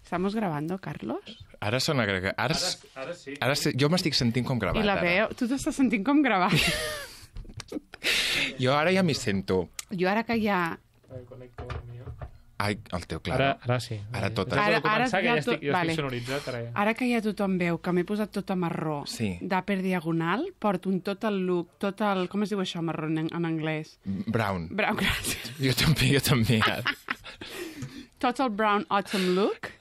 Estamos grabando, Carlos? Ara sona agregat. Ara sí. Ara jo m'estic sentint com gravat. I la veu... Tu t'estàs sentint com gravat. Jo ara ja m'hi sento. Jo ara que ja... Ai, el teu, clar. Ara sí. Ara tot. Ara començar, que ja jo estic sonoritzat. Ara que ja tothom veu que m'he posat tot a marró d'Upper Diagonal, porto un total look, total... Com es diu això, marró en anglès? Brown. Brown, gràcies. Jo també. Total brown autumn look.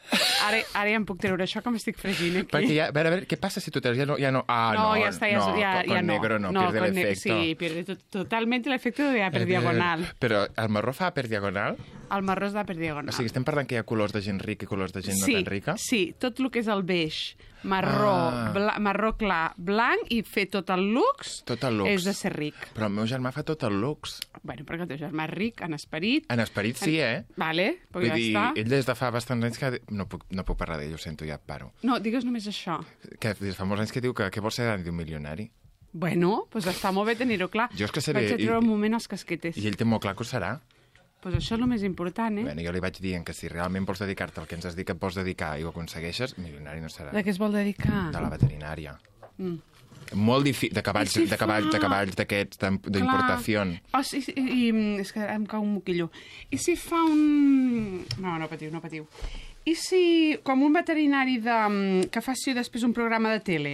Ara ja em puc treure això que m'estic fregint aquí. Perquè ja, a veure, què passa si tu treus? Ja no. No, ya está, con negro no, pierde el efecto. Sí, pierde totalmente el efecto de Upper Diagonal. Però el marró fa Upper Diagonal? El marró és d'Upper Diagonal. O sigui, estem parlant que hi ha colors de gent rica i colors de gent no tan rica? Sí, tot el que és el beix, marró clar, blanc i fer tot el lux és de ser ric. Però el meu germà fa tot el lux. Bueno, perquè el teu germà és ric en esperit. En esperit sí, Vale, pues ja està. Ell des de fa bastants anys que... No puc parlar d'ell, ho sento, ja paro. No, digues només això. Que des de fa molts anys que diu que vol ser d'un milionari. Bueno, doncs està molt bé tenir-ho clar. Jo és que seré... Vaig a treure un moment els casquetes. I ell té molt clar que ho serà. Doncs això és el més important, Bueno, jo li vaig dient que si realment vols dedicar-te al que ens has dit que et vols dedicar i ho aconsegueixes, milionari no serà. De què es vol dedicar? De la veterinària. Molt difícil, de cavalls d'aquests, d'importació. Sí, és que em cau un moquillo. I si fa un... No patiu. I si, com un veterinari que faci després un programa de tele?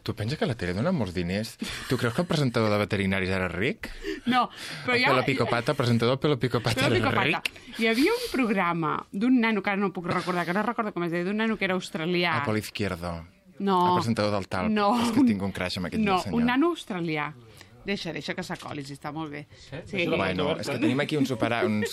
Tu penses que la tele dona molts diners? Tu creus que el presentador de veterinaris era ric? No, però ja... El presentador Pelo Picopata era ric? Hi havia un programa d'un nano, que ara no puc recordar, que no recordo com es deia, d'un nano que era australià. Pol Izquierdo. No. El presentador del Talp. No. És que tinc un crash amb aquest senyor. No, un nano australià. Deixa que s'acoli, si està molt bé. Sí. Bueno, és que tenim aquí uns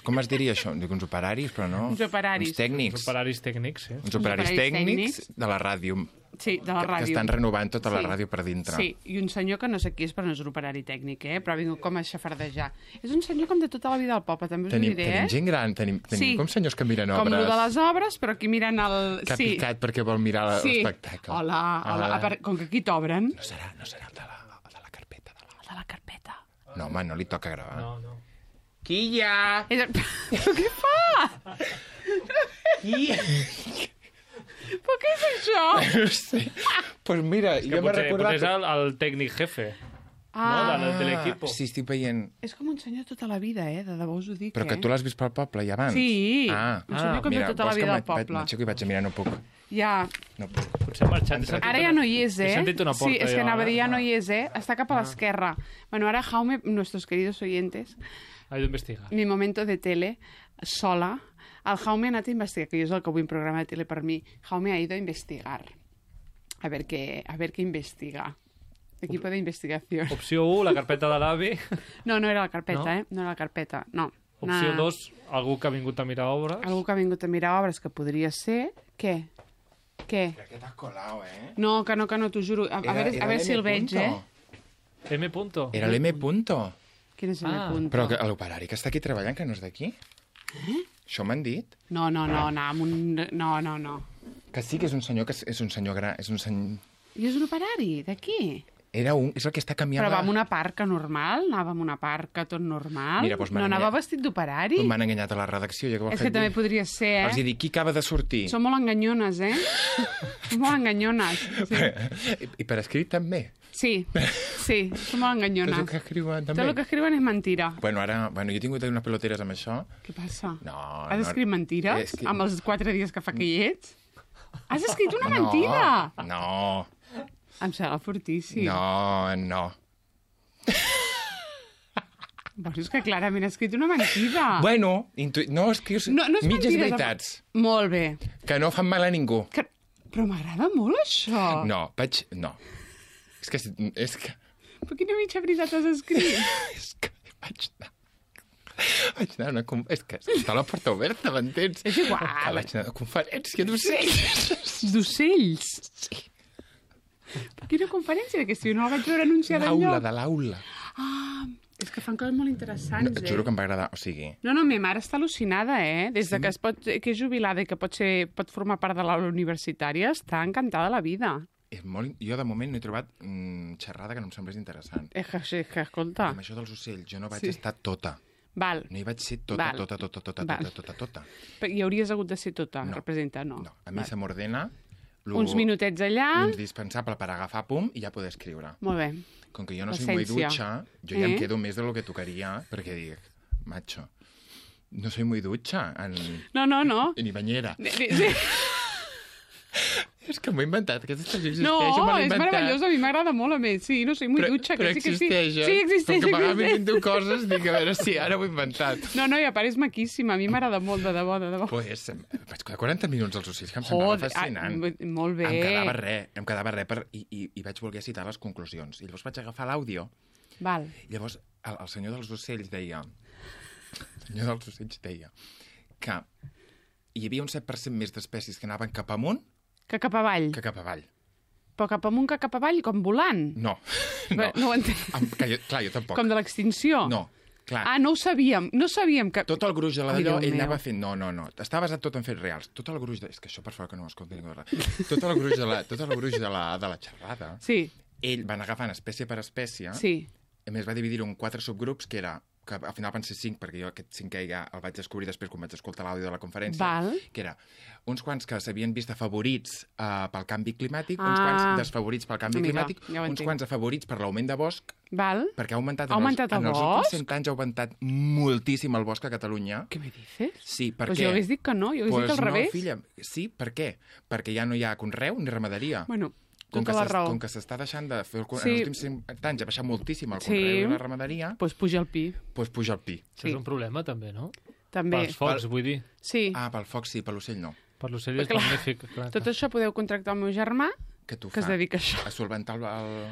com es diria això? Dic uns operaris, però no. Uns operaris. Uns tècnics. Uns operaris tècnics, sí. Uns operaris tècnics de la ràdio. Sí, de la ràdio. Que estan renovant tota la ràdio per dintre. Sí, i un senyor que no sé qui és, però no és un operari tècnic, però ha vingut com a xafardejar. És un senyor com de tota la vida al poble, també us ho diré, Tenim gent gran, tenim com senyors que miren obres. Com el de les obres, però aquí miren el... Que ha picat perquè vol mirar l'espectacle. Hola, com que aquí t'obren... No serà el de la carpeta. El de la carpeta. No, home, no li toca gravar. No. Quilla! Però què fa? Però què és això? No sé. Pues mira, jo m'he recordat... És el tècnic jefe, de l'equip. Sí, estic veient... És com un senyor tota la vida, de debò us ho dic, Però que tu l'has vist pel poble i abans? Sí, un senyor com de tota la vida al poble. M'aixeco i vaig a mirar, no puc. Ja. No puc. Potser ha marxat. Ara ja no hi és, He sentit una porta. Sí, és que anava a dir, ja no hi és, Està cap a l'esquerra. Bueno, ahora Jaume, nuestros queridos oyentes... Ha ido a investigar. Mi momento de tele, sola. El Jaume ha anat a investigar, que jo és el que vull un programa de tele per mi. Jaume ha ido a investigar. A ver qué investiga. Equipo de investigación. Opció 1, la carpeta de l'avi. No era la carpeta, no era la carpeta, no. Opció 2, algú que ha vingut a mirar obres. Algú que ha vingut a mirar obres, que podria ser... Què? Que t'has colau, No, que no, t'ho juro. A veure si el veig, M. Punto. Era l'M. Punto. Quin és M. Punto? Però l'operari que està aquí treballant, que no és d'aquí? Això m'han dit? No, no. Que sí que és un senyor gran, és un senyor... I és un operari, d'aquí? És el que està canviant... Però va amb una parca normal? Anava amb una parca tot normal? Mira, doncs no anava vestit d'operari? M'han enganyat a la redacció. És que també podria ser, Els he dit, qui acaba de sortir? Són molt enganyones, Són molt enganyones. Sí. I per escrit també? Sí, són molt enganyones. Tot el que escriuen també? Tot el que escriuen és mentira. Bueno, jo he tingut unes peloteres amb això. Què passa? No. Has escrit mentires? Amb els 4 dies que fa que hi ets? Has escrit una mentida? No. Em sembla fortíssim. No. Bueno, és que clarament has escrit una mentida. Bueno, no escrius mitges veritats. Molt bé. Que no fan mal a ningú. Però m'agrada molt això. No. És que... Però quina mitja veritat has escrit? És que vaig anar a una... És que està la porta oberta, m'entens? És igual. Vaig anar a una conferència d'ocells. D'ocells? Sí. Quina conferència d'aquesta? Jo no la vaig veure anunciada enlloc. De l'aula. És que fan coses molt interessants, Et juro que em va agradar, o sigui... No, ma mare està al·lucinada, Des de que és jubilada i que pot formar part de l'aula universitària, està encantada de la vida. Jo, de moment, no he trobat xerrada que no em semblés interessant. És que escolta... Amb això dels ocells, jo no vaig estar tota. Val. No hi vaig ser Val. tota. I hauries hagut de ser tota, No. representa, no. No, a mi se m'ordena Uns minutets allà. indispensable per agafar pum i ja poder escriure. Molt bé. Com que jo no soy muy L'essència. ducha, jo ja em quedo més de lo que tocaria, perquè dic, macho, no soy muy ducha No. ni bañera. Sí. És que m'ho he inventat, aquesta expressió existeix, No, me l'he és inventat. meravellós, a mi m'agrada molt, a més. Sí, no soy muy dutxa, però que sí que sí. existeix, eh? Sí, existeix. Com que a vegades m'invento coses, dic, a veure si ara ho he inventat. No, i a part és maquíssima, a mi m'agrada molt, de debò. Pues, vaig quedar 40 minuts als ocells, que em semblava fascinant. Molt bé. Em quedava res i vaig voler citar les conclusions. I llavors vaig agafar l'àudio. Val. Llavors, el senyor dels ocells deia que hi havia un 7% més d'espècies que anaven cap amunt Que cap avall. que cap avall. Però cap amunt que cap avall, com volant. No. Bé, no ho entenc. Clar, jo tampoc. Com de l'extinció. No, clar. Ah, no ho sabíem. No sabíem que... Tot el gruix de Ai, d'allò, Déu ell meu. anava fent... No. Està basat tot en fets reals. Tot el gruix de... És que això, per favor, que no m'escolti ningú. Tot el gruix de la xerrada, Sí, ell va anar agafant espècie per espècie. sí. A més, va dividir-ho en 4 subgrups, que al final van ser 5, perquè jo aquest 5è ja el vaig descobrir després quan vaig escoltar l'àudio de la conferència, Val. que era uns quants que s'havien vist afavorits pel canvi climàtic, uns quants desfavorits pel canvi Amiga, climàtic, ja ho uns entenc. quants afavorits per l'augment de bosc, Val. perquè ha augmentat, Ha augmentat en el els últims bosc? 100 anys ha augmentat moltíssim el bosc a Catalunya. Què me dices? Sí, per Pues què? jo hagués dit que no, jo hagués dit al no, revés. filla, sí, per què? Perquè ja no hi ha conreu ni ramaderia. Bueno, Com tota la raó. Com que s'està deixant de fer... Sí. En els últims 50 anys ha baixat moltíssim el Sí. conreu i la ramaderia, Pues puja el pi. doncs puja el pi. Això és un problema, també, no? També. Pels focs, vull dir. Sí. Ah, pel foc sí, per l'ocell no. Per l'ocell és Clar. magnífic. Clar. Tot això podeu contractar el meu germà, Que tu que es fa? dedica a això. A solventar el...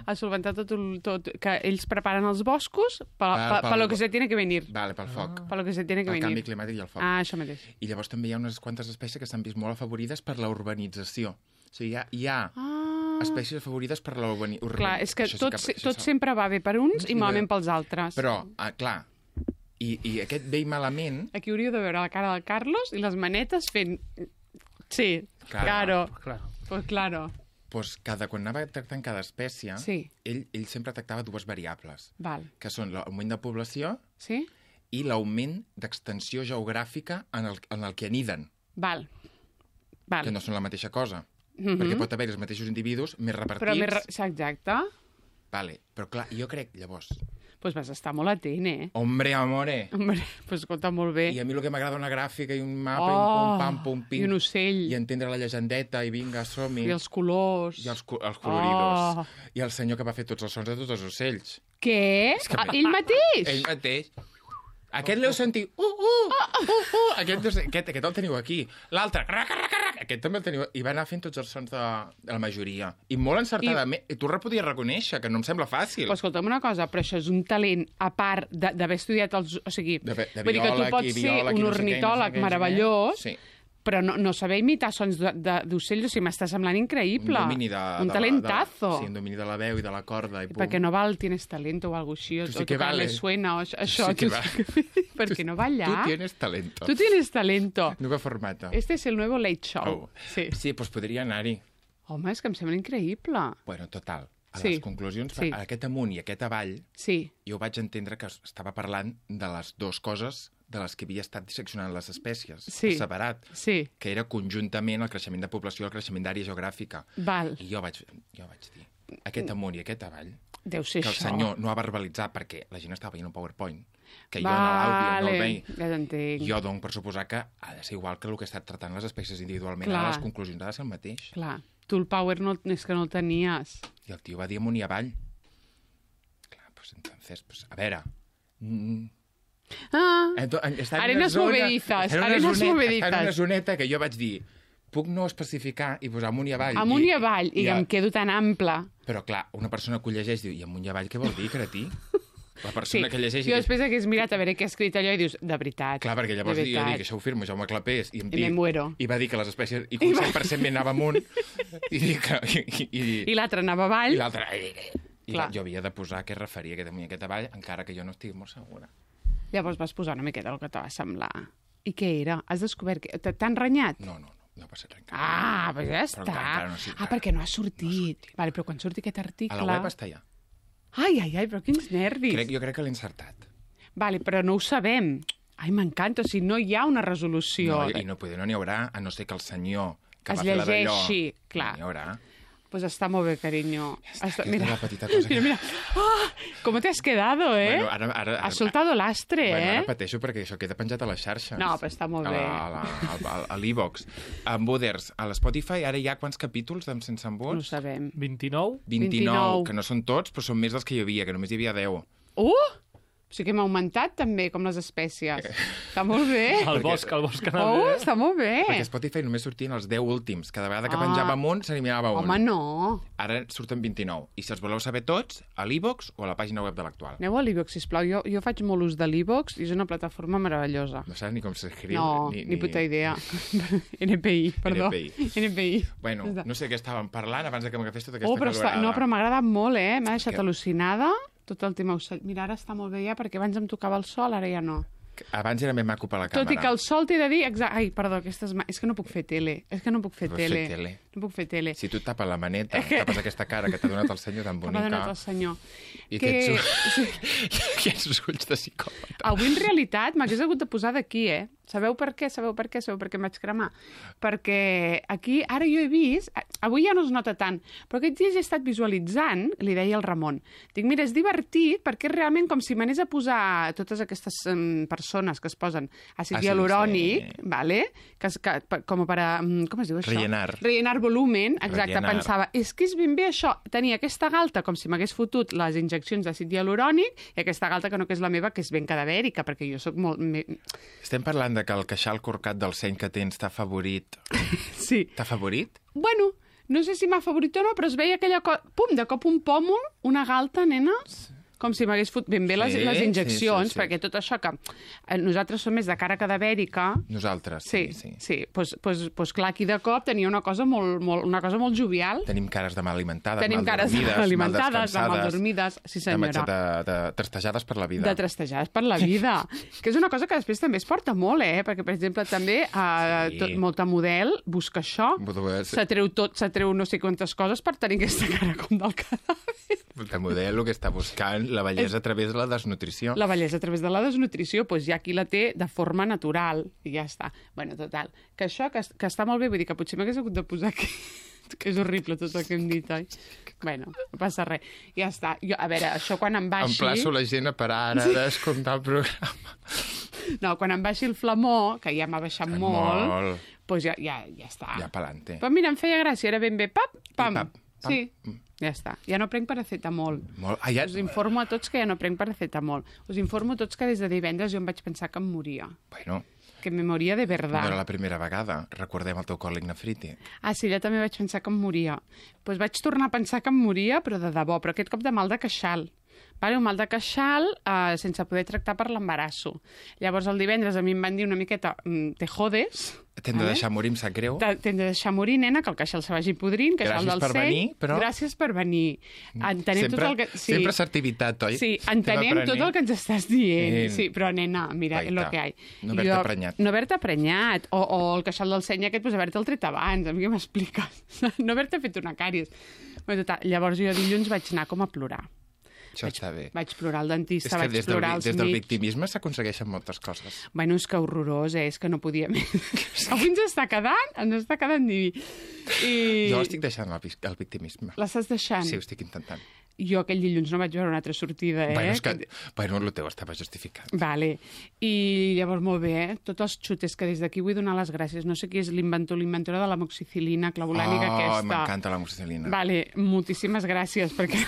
A solventar tot, que ells preparen els boscos Pel- per lo que se tiene que venir. Vale, pel foc. Per lo que se tiene que El canvi venir. climàtic i el foc. Ah, això mateix. I llavors també hi ha unes quantes espècies que s'han vist molt afavorides per la urbanització. O sigui, hi ha espècies afavorides per la urbanització. Clar, és que tot sempre va bé per uns i malament pels altres. Però, clar, i aquest bé i malament... Aquí hauríeu de veure la cara del Carlos i les manetes fent... Sí, Claro. claro. Pues claro. Doncs quan anava tractant cada espècie, Sí. ell sempre tractava dues variables, Val. que són l'augment de població Sí? i l'augment d'extensió geogràfica en el que aniden, Val. que no són la mateixa cosa. Perquè pot haver els mateixos individus més repartits. Però més... Exacte. Vale. Però clar, jo crec, llavors, Pues vas estar molt atent, eh? hombre, amore, Hombre, pues escolta molt bé. i a mi el que m'agrada una gràfica i un mapa, Oh, i un pum, pam, pum, pim, i un ocell. i entendre la llegendeta, i vinga, som-hi. I els colors. I els coloridos. Oh. I el senyor que va fer tots els sons de tots els ocells. Què? Ell mateix? Ell mateix. Aquest l'heu sentit. Aquest el teniu aquí. L'altre, aquest també el teniu. I va anar fent tots els sons de la majoria. I molt encertadament. I tu podies reconèixer, que no em sembla fàcil. Però escolta'm una cosa, però això és un talent a part d'haver estudiat els... O sigui, De vull dir que tu biòleg pots i ser biòleg i un no sé què, ornitòleg no sé què, meravellós, sí. però no saber imitar sons d'ocells, o sigui, m'està semblant increïble. Un domini un talentazo. Sí, un domini de la veu i de la corda. I pum. Perquè no val tienes talento o algo així, o Tu sí que tocar vales. me suena, o això. Sí que tu sí perquè no va allà. Tu tienes talento. Tu tienes talento. Nuevo formato. Este es el nuevo Late Show. Oh. Sí, doncs podria anar-hi. Home, és que em sembla increïble. Bueno, total. A Sí. les conclusions, Sí. aquest amunt i aquest avall, Sí, jo vaig entendre que estava parlant de les dues coses de les que havia estat disseccionant les espècies, Sí. separat, sí, que era conjuntament el creixement de població i el creixement d'àrea geogràfica. val. I jo vaig dir, aquest amunt i aquest avall, Deu ser que el això. senyor no ha verbalitzat perquè la gent estava veient un PowerPoint, que jo en l'àudio no el veia. ja t'entenc. Jo dono per suposar que ha de ser igual que el que he estat tratant les espècies individualment. Clar. Ara les conclusions ha de ser el mateix. Clar, tu el power no, és que no el tenies. I el tio va dir amunt i avall. Clar, pues entonces, pues, a veure... Està en Arenas una zona- movedizas, està en una arenas zoneta- movedizas. Està en una zoneta que jo vaig dir, puc no especificar i posar amunt i avall. Amunt i avall, i em quedo tan ample. Però clar, una persona que ho llegeix diu, i amunt i avall què vol dir, cretí? La Sí, persona que llegeix... jo després hagués mirat a veure què ha escrit allò i dius, de veritat. Clar, perquè llavors de jo veritat. dic, això ho firmo Jaume Clapés, i em I dic, me muero. i va dir que les espècies, i que un 100% me anava amunt, i dic que... I l'altre anava avall. I l'altre... I Clar. jo havia de posar què es referia aquest amunt i aquest avall, encara que jo no estic molt segura. Llavors vas posar una miqueta el que te va semblar. I què era? Has descobert que... T'han renyat? No ha passat res. Ah, pues ja està. encara no ha sortit. Perquè no ha sortit. Vale, però quan surti aquest article... A la web està ja. Ai, però quins nervis. Jo crec que l'he encertat. Vale, però no ho sabem. Ai, m'encanta, o sigui, no hi ha una resolució. No, i no n'hi haurà, a no ser que el senyor que Es va fer la d'allò... llegeixi, clar. No n'hi haurà. Pues està molt bé, carinyo. Aquesta és la petita cosa que... Mira. ¡Ah! ¿Cómo te has quedado, eh? Bueno, ara, Has soltado lastre, Ara pateixo perquè això queda penjat a les xarxes. No, però està molt bé. A l'e-box. A Embuders, a l'Spotify, ara hi ha quants capítols d'Em Sense No ho Embuts? sabem. 29? 29, que no són tots, però són més dels que hi havia, que només hi havia 10. O sigui que hem augmentat també, com les espècies. Està molt bé. El bosc anava Oh, bé. està molt bé. Perquè a Spotify només sortien els 10 últims. Cada vegada que penjàvem un, s'eliminava un. Home, no. Ara surten 29. I si els voleu saber tots, a l'e-box o a la pàgina web de l'Actual. Aneu a l'e-box, sisplau. Jo faig molt ús de l'e-box i és una plataforma meravellosa. No saps ni com s'escriu. No, ni puta idea. NPI, perdó. NPI. Bueno, no sé què estàvem parlant abans de que m'agafés tota aquesta Oh, però, calorada. però m'ha agradat molt, M'ha deixat Que- al·lucinada tot el tema ocell. Mira, ara està molt bé ja, perquè abans em tocava el sol, ara ja no. Abans era més maco per la càmera. Tot i que el sol t'he de dir... Ai, perdó, és que no puc fer tele. És que no puc fer Pots fer tele. tele. No puc fer tele. Si tu et tapes la maneta, tapes aquesta cara que t'ha donat el senyor tan M'ha bonica... donat el senyor. I Que- aquests ulls de psicòpata. Avui, en realitat, m'hagués hagut de posar d'aquí, Sabeu per què? Sabeu per què em vaig cremar? Perquè aquí, ara jo he vist... Avui ja no es nota tant, però aquests dies he estat visualitzant, li deia al Ramon, dic, mira, és divertit perquè és realment com si m'anés a posar totes aquestes persones que es posen àcid hialurònic, sí. vale? Com per a... Com es diu això? Rellenar volumen, exacte. Rellenar. Pensava, és que és ben bé això, tenir aquesta galta com si m'hagués fotut les injeccions d'àcid hialurònic i aquesta galta que no que és la meva, que és ben cadavèrica, perquè jo sóc molt... Estem parlant de que el queixal corcat del seny que tens t'ha favorit. Sí. T'ha favorit? Bueno, no sé si m'ha favorit o no, però es veia aquella cosa... Pum, de cop un pòmul, una galta, nena, com si m'hagués fotut ben bé les injeccions, sí. perquè tot això que nosaltres som més de cara cadavèrica... Nosaltres, sí. Pues clar, aquí de cop tenia una cosa molt jovial. Tenim cares de mal alimentades, Tenim cares mal alimentades, de mal dormides, sí senyora. De trastejades per la vida. De trastejades per la vida. Que és una cosa que després també es porta molt, perquè, per exemple, també molta model busca això. S'atreu no sé quantes coses per tenir aquesta cara com del cadàver. Molta model el que està buscant la bellesa a través de la desnutrició. La bellesa a través de la desnutrició, doncs ja qui la té de forma natural, i ja està. Bueno, total, que això que està molt bé, vull dir que potser m'hagués hagut de posar aquí, que és horrible tot el que hem dit, oi? Bueno, no passa res. Ja està. Jo, a veure, això quan em baixi... Emplaço la gent a parar ara d'escoltar el programa. No, quan em baixi el flamó, que ja m'ha baixat molt, doncs ja està. Ja pa'lante. Però mira, em feia gràcia, era ben bé, pam. Pam. Sí, ja està. Ja no prenc paracetamol. Ja... Us informo a tots que ja no prenc paracetamol. Us informo a tots que des de divendres jo em vaig pensar que em moria. Bueno... Que me moria de verdad. No era la primera vegada. Recordem el teu còlic nefrític. Ah, sí, jo també vaig pensar que em moria. Doncs vaig tornar a pensar que em moria, però de debò. Però aquest cop de mal de queixal. Vale, un mal de queixal sense poder tractar per l'embarasso. Llavors, el divendres a mi em van dir una miqueta te jodes. T'hem de deixar morir, em sap greu. T'hem de deixar morir, nena, que el queixal se vagi podrint, queixal del seny. Gràcies per venir. Entenem tot el que... Sempre assertivitat, oi? Sí, entenem tot el que ens estàs dient. Sí, però, nena, mira, és el que hi ha. No haver-te prenyat. No haver-te prenyat. O el queixal del seny aquest, doncs haver-te'l tret abans. A mi què m'expliques? No haver-te fet una càries. Llavors jo dilluns vaig anar com a plorar. Això està bé. Vaig plorar al dentista, vaig des plorar als des del mig. victimisme s'aconsegueixen moltes coses. Bueno, és que horrorós, és que no podia més. Avui ens està quedant diví. Jo estic deixant el victimisme. L'estàs deixant? Sí, ho estic intentant. Jo aquell dilluns no vaig veure una altra sortida, Bueno, és que... Bueno, el teu estava justificat. Vale. I llavors, molt bé, tots els xutes que des d'aquí vull donar les gràcies. No sé qui és l'inventora de l'amoxicil·lina clavolànica aquesta. M'encanta l'amoxicil·lina. Vale, moltíssimes gràcies, perquè...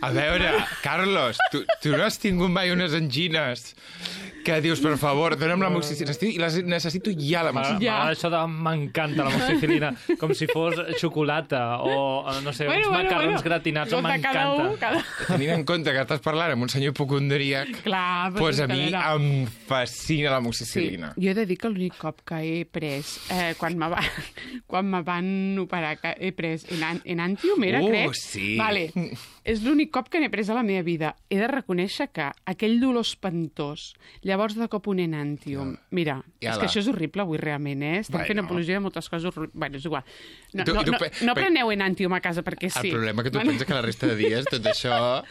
A veure, Carlos, tu no has tingut mai unes angines que dius, per favor, dona'm l'amoxicil·lina. I necessito ja l'amoxicil·lina. Això m'encanta l'amoxicil·lina, com si fos xocolata o, no sé, uns macarrons gratinats. M'encanta. Tenint en compte que estàs parlant amb un senyor hipocondríac, doncs a mi em fascina l'amoxicil·lina. Jo he de dir que l'únic cop que he pres, quan me van operar, que he pres Enantium, era, crec? Sí. Vale. És l'únic cop que n'he pres a la meva vida. He de reconèixer que aquell dolor espantós, llavors de cop un enàntium... Mira, és que això és horrible avui realment, Estem fent apologia de moltes coses horribles. Bueno, és igual. No preneu enàntium a casa perquè sí. El problema que tu penses que la resta de dies tot això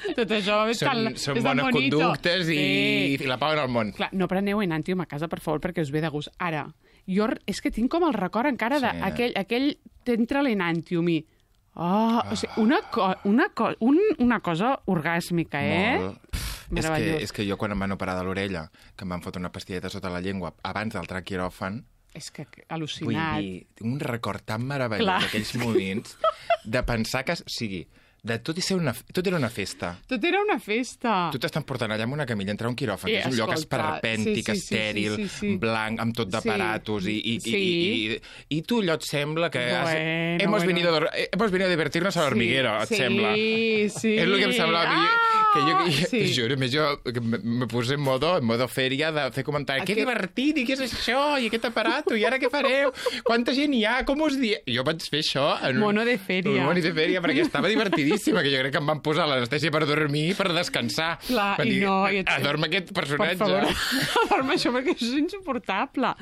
són bones conductes i la pau en el món. Clar, no preneu enàntium a casa, per favor, perquè us ve de gust. Ara, jo és que tinc com el record encara d'aquell t'entra l'enàntium i... o sigui, una cosa orgàsmica, Molt. És que jo quan em van operar de l'orella, que em van fotre una pastilleta sota la llengua abans d'entrar al quiròfan, és que al·lucinat. Vull dir, tinc un record tan meravellós d'aquells moments de pensar que... O sigui, de tot era una festa. Tot era una festa. Tu t'estan portant allà amb una camilla, entrar a un quiròfan, que és un lloc esperpèntic, estèril, blanc, amb tot d'aparatos, i tu allò et sembla que hemos venido a divertirnos a l'hormiguero, et sembla. Sí. És el que em semblava. Te juro, més jo me puse en modo fèria de fer comentaris. Que divertit, i què és això? I aquest aparato? I ara què fareu? Quanta gent hi ha? Com us dieu? Jo vaig fer això en mono de fèria. Mono de fèria, perquè estava divertidíssima, que jo crec que em van posar l'anestèsia per dormir, per descansar. Clar, i no... Adorm aquest personatge. Per favor, adorm això, perquè això és insuportable.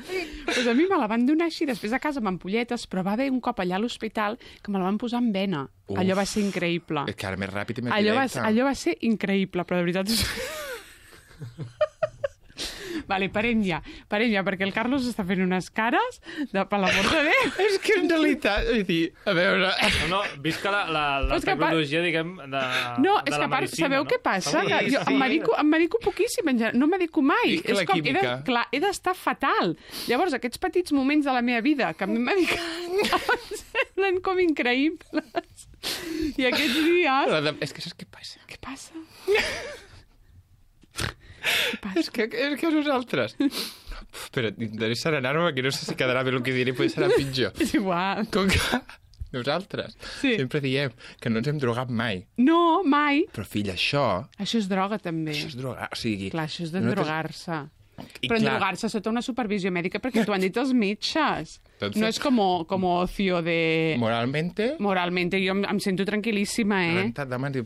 Pues a mi me la van donar així, després a casa amb ampolletes, però va haver un cop allà a l'hospital que me la van posar en vena. Allò va ser increïble. És que ara més ràpid i més directe. Allò va ser increïble, però de veritat... Vale, parem ja, perquè el Carlos està fent unes cares per l'amor de Déu. És que en realitat, vull dir, a veure... No, visca la tecnologia, diguem, de la medicina. No, és que a part, sabeu què passa? Que jo em medico poquíssim, no medico mai. És com, clar, he d'estar fatal. Llavors, aquests petits moments de la meva vida que m'he medicat em semblen com increïbles. I aquests dies... És que saps què passa? Què passa? És que nosaltres... Però intentaré serenar-me, que no sé si quedarà bé el que diré, potser serà pitjor. És igual. Com que nosaltres sempre diem que no ens hem drogat mai. No, mai. Però, fill, això... Això és droga, també. Això és drogar, o sigui... Clar, això és d'endrogar-se. Però endrogar-se sota una supervisió mèdica perquè t'ho han dit els metges. No és com ocio de... Moralmente, jo em sento tranquil·líssima, rentat de mans i...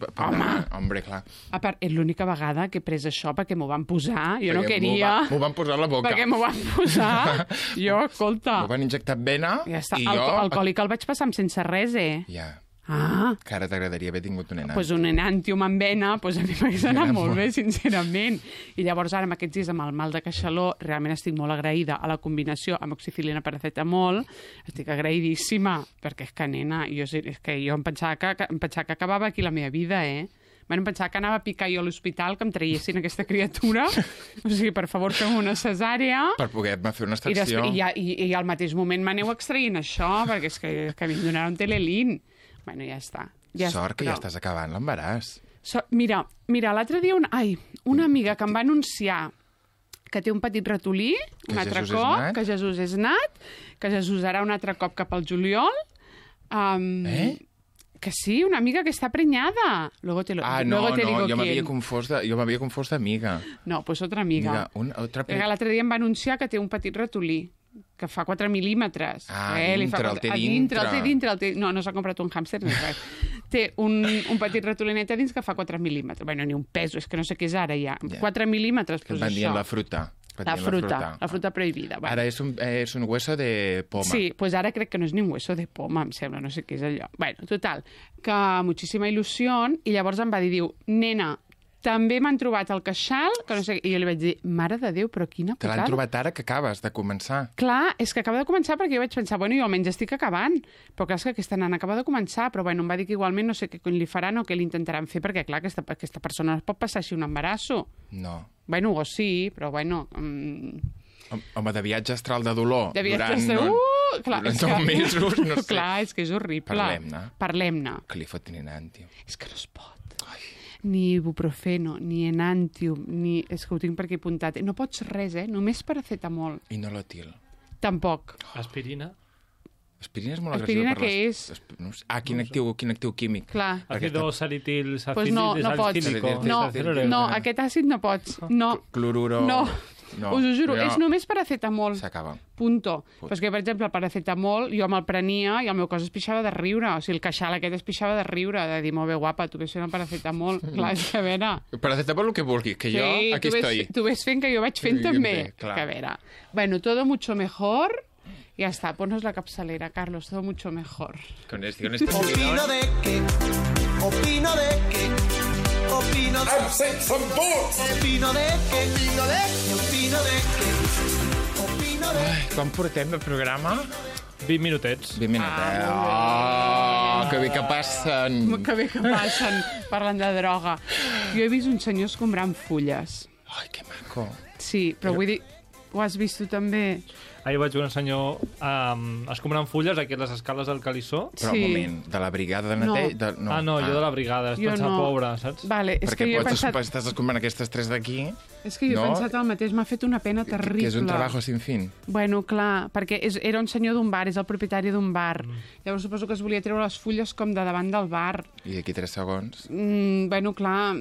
Hombre, clar. A part, és l'única vegada que he pres això perquè m'ho van posar. Jo no queria... M'ho van posar a la boca. Perquè m'ho van posar. Jo, escolta... M'ho van injectar vena i jo... Alcohòlic el vaig passar amb sense res, Ja. Ah. Que ara t'agradaria haver tingut un enàntium. Pues un enàntium amb vena, pues a mi m'hagués anat molt bé, sincerament. I llavors ara, amb aquests dies, amb el mal de queixaló, realment estic molt agraïda a la combinació amb oxicilina paracetamol. Estic agraïdíssima, perquè és que, nena, és que jo em pensava que acabava aquí la meva vida, Bueno, em pensava que anava a picar jo a l'hospital, que em traiessin aquesta criatura. O sigui, per favor, fem una cesàrea. Per poder-me fer una extracció. I al mateix moment m'aneu extraient això, perquè és que a mi em donaran Telelin. Bueno, ja està. Sort que ja estàs acabant l'embaràs. Mira, l'altre dia una amiga que em va anunciar que té un petit ratolí, un altre cop, que Jesús és nat, que Jesús harà un altre cop cap al juliol. Que sí, una amiga que està prenyada. Luego te digo jo m'havia confós d'amiga. No, pues otra amiga. L'altre dia em va anunciar que té un petit ratolí, que fa 4 mil·límetres. El té dintre. No s'ha comprat un hàmster ni res. Té un petit ratolinet a dins que fa 4 mil·límetres. Bueno, ni un peso, és que no sé què és ara ja. 4 mil·límetres, pues això. Que van dient la fruta. La fruta prohibida. Bueno. Ara és un hueso de poma. Sí, pues ara crec que no és ni un hueso de poma, em sembla, no sé què és allò. Bueno, total, que muchíssima il·lusió, i llavors em va dir, nena, també m'han trobat el queixal, que no sé, i jo li vaig dir, mare de Déu, però quina putada. Te l'han trobat ara que acabes de començar. Clar, és que acaba de començar perquè jo vaig pensar, bueno, jo almenys estic acabant, però clar, és que aquesta nana acaba de començar, però bueno, em va dir que igualment no sé què li faran o què li intentaran fer, perquè clar, aquesta persona no es pot passar així un embarasso. No. Bueno, o sí, però bueno... Home, de viatge astral de dolor. De viatge astral... Durant 9 mesos, no sé. Clar, és que és horrible. Parlem-ne. Que li fotin enàntium. És que no es pot. Ni ibuprofeno, ni enàntium, ni... És que ho tinc per aquí apuntat. No pots res, només paracetamol. I no l'etil. Tampoc. Aspirina? Aspirina és molt agressiva per les... Què és? Quin actiu químic. Clar. Ácido salitil, pues no pots. No, aquest àcid no pots. No. Cloruro. No. No, us ho juro, és només paracetamol. S'acaba. Punto. Però és que, per exemple, el paracetamol jo me'l prenia i el meu cos es pixava de riure. O sigui, el queixal aquest es pixava de riure, de dir, molt bé, guapa, tu ves fent el paracetamol. Clar, és que a veure... Paracetamol el que vulguis, que jo aquí estoy. Tu ves fent que jo vaig fent també. Que a veure... Bueno, todo mucho mejor... Ya está, ponnos la capsalera, Carlos, todo mucho mejor. Con este Opino de que, opino de que, opino de que, opino de que, opino de que, opino de que... Ai, quan portem de programa? 20 minutets. 20 minutets. Oh, que bé que passen. Que bé que passen, parlant de droga. Jo he vist uns senyors comprant fulles. Ai, que maco. Sí, però vull dir, ho has vist tu també? Ahir vaig veure un senyor escombrant fulles aquí a les escales del Calissó. Però un moment, de la brigada de neteja... No. Jo de la brigada, és pensar pobre, saps? Vale, és perquè que jo he pensat... estàs escombrant aquestes tres d'aquí... És que jo he pensat el mateix, m'ha fet una pena terrible. Que és un treball sin fin. Bueno, clar, perquè era un senyor d'un bar, és el propietari d'un bar. Llavors suposo que es volia treure les fulles com de davant del bar. I d'aquí 3 segons? Bueno, clar,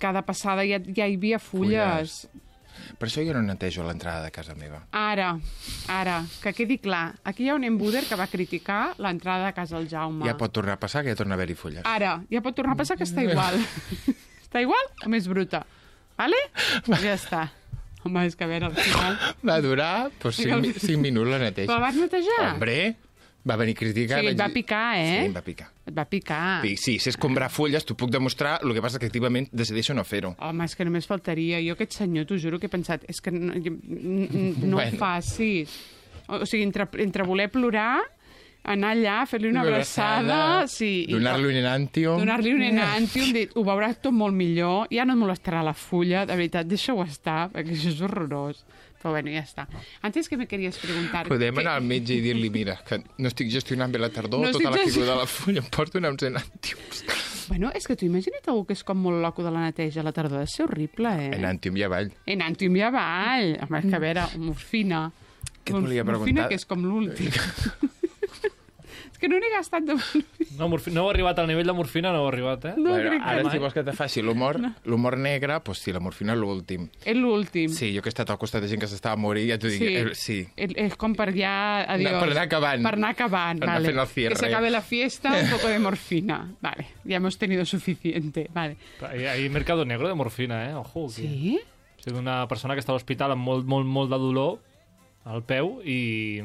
cada passada ja hi havia fulles. Per això jo no netejo l'entrada de casa meva. Ara, que quedi clar. Aquí hi ha un embuder que va criticar l'entrada de casa del Jaume. Ja pot tornar a passar, que ja torna a haver-hi fulles. Ara, ja pot tornar a passar que està igual. Està igual o més bruta? Vale? Ja està. Home, és que a veure, al final... Va durar 5 minuts la neteja. Però la vas netejar? Hombre, va venir a criticar... Sí, et va picar, eh? Sí, em va picar. Et va picar. Sí, si és comprar fulles, t'ho puc demostrar, el que passa és que activament decideixo no fer-ho. Home, és que només faltaria. Jo aquest senyor, t'ho juro que he pensat, és que no ho facis. O sigui, entre voler plorar, anar allà, fer-li una abraçada... Sí, donar-li un enantium. Donar-li un enantium, dir, ho veuràs tot molt millor, ja no et molestarà la fulla, de veritat, deixa-ho estar, perquè això és horrorós. Però bueno, ja està. Antes que me queries preguntar... Podem anar al metge i dir-li, mira, que no estic gestionant bé la tardor, tota la figura de la fulla, em porto uns enantiums. Bueno, és que tu imagina't algú que és com molt loco de la neteja, la tardor ha de ser horrible, eh? Enantium i avall. Enantium i avall. Home, és que a veure, morfina. Què et volia preguntar? Morfina, que és com l'últim. Que no n'he gastat de morfina. No heu arribat al nivell de morfina, no heu arribat, eh? No, bueno, ara, si vols que te faci l'humor negre, doncs sí, la morfina és l'últim. És l'últim. Sí, jo que he estat al costat de gent que s'estava a morir, ja t'ho dic, sí. És com per ja... Adiós. Per anar acabant. Per anar acabant, per anar vale. Fent el cierre. Que se acabe la fiesta, un poco de morfina. Vale, ya hemos tenido suficiente. Vale. Hay mercado negro de morfina, eh? Ojo. Sí? O sigui, una persona que estava a l'hospital amb molt de dolor al peu i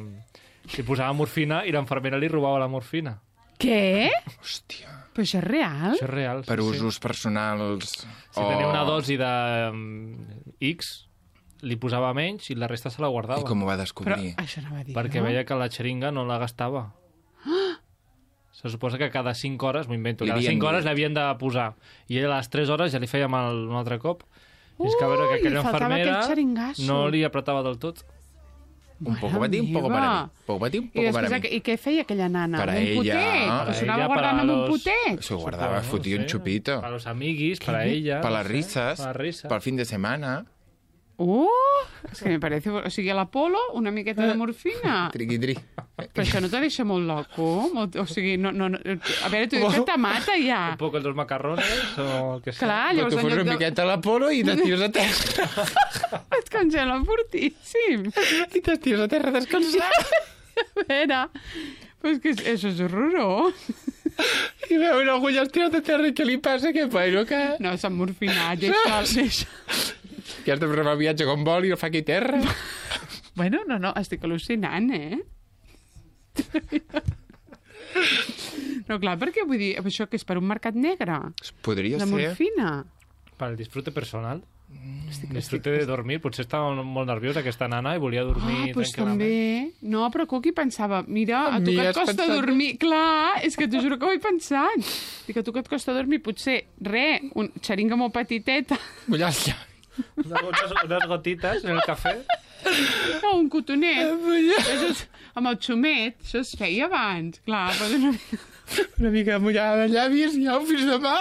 li posava morfina i l'infermera li robava la morfina. Què? Hòstia. Però això és real? Això és real, per usos personals. Si tenia una dosi de X, li posava menys i la resta se la guardava. I com ho va descobrir? Però això no va dir, perquè veia que la xeringa no la gastava. Se suposa que cada 5 hores, m'ho invento, cada 5 hores l'havien de posar. I ell a les 3 hores ja li feia mal un altre cop. I és que a veure que aquella infermera no li apretava del tot. Un poco para ti, un poco para mí. Poco para ti, un poco para mí. I què feia aquella nana? Para un ella. Potet? S'ho anava guardant amb un potet? Se guardaba, fotia un chupito. Para los amiguis, para ella. Para las risas. Para el fin de semana. És que me parece... O sigui, a l'Apolo, una miqueta de morfina. Triqui-tri. Però això no te deixa molt loco? O sigui, no... A veure, tu dius que te mata ja. Un poc els dos macarrones o el que sigui. Clar, llavors... Tu fos una miqueta a l'Apolo i t'estires a terra. Et congela fortíssim. I t'estires a terra descansant. A veure... Però és que això és horrorós. I veu una agulla estirat a terra i què li passa? Què pairo, que... No, s'ha morfinat, deixa. Que has de fer el viatge com vol i el fa aquí a terra. Bueno, no, estic al·lucinant, eh? No, clar, perquè vull dir, això que és per un mercat negre? Podria ser. La morfina? Per el disfrute personal. Disfrute de dormir. Potser estava molt nerviosa aquesta nana i volia dormir doncs tranquil·lament. També. No, però Cuqui pensava, mira, a tu que et costa dormir... Clar, és que t'ho juro que ho he pensat. Dic, a tu que et costa dormir, potser, un xeringa molt petiteta. Mullar-se. Unes gotites en el cafè. No, un cotonet. Això és, amb el xumet, això es feia abans. Clar, una mica mullada de llavis i au, fins demà.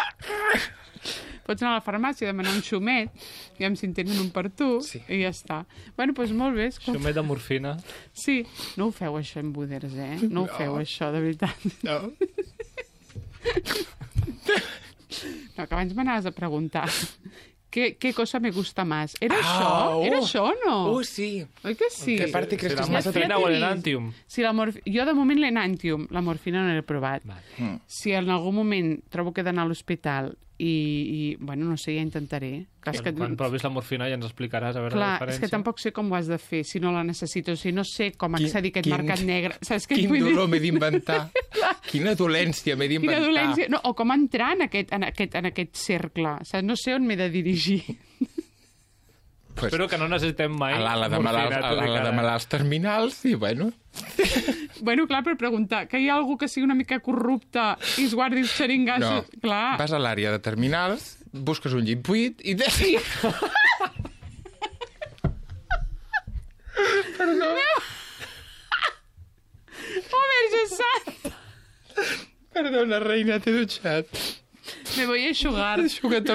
Pots anar a la farmàcia a demanar un xumet, i si en tenen un per tu, i ja està. Bueno, doncs molt bé. Xumet de morfina. Sí. No ho feu, això, en Buders, eh? No ho feu, això, de veritat. No. No, que abans m'anaves a preguntar ¿Qué cosa me gusta más? ¿Era això? ¿Era això o no? Sí. Oi que sí? Que part creus que és massa morfina o l'enantium? Sí, jo de moment l'enantium, la morfina no l'he provat. Si en algun moment trobo que he d'anar a l'hospital i bueno, no sé, ja intentaré. Quan provis la morfina ja ens explicaràs a veure la diferència. És que tampoc sé com ho has de fer, si no la necessito, si no sé com accedir a aquest mercat negre. Saps què quin vull dir? dolor m'he d'inventar. Quina dolència m'he d'inventar. Quina dolència. No, o com entrar en aquest cercle. Saps? No sé on m'he de dirigir. Pues, espero que no necessitem mai a l'ala de malalts terminals i bueno... Bueno, clar, per preguntar que hi ha algú que sigui una mica corrupte i es guardi els xeringassos... No, clar. Vas a l'àrea de terminals, busques un llit buit i... Perdó. Oh, Verge Sant! Perdona, reina, t'he dutxat. Me voy a eixugar. Aixuga't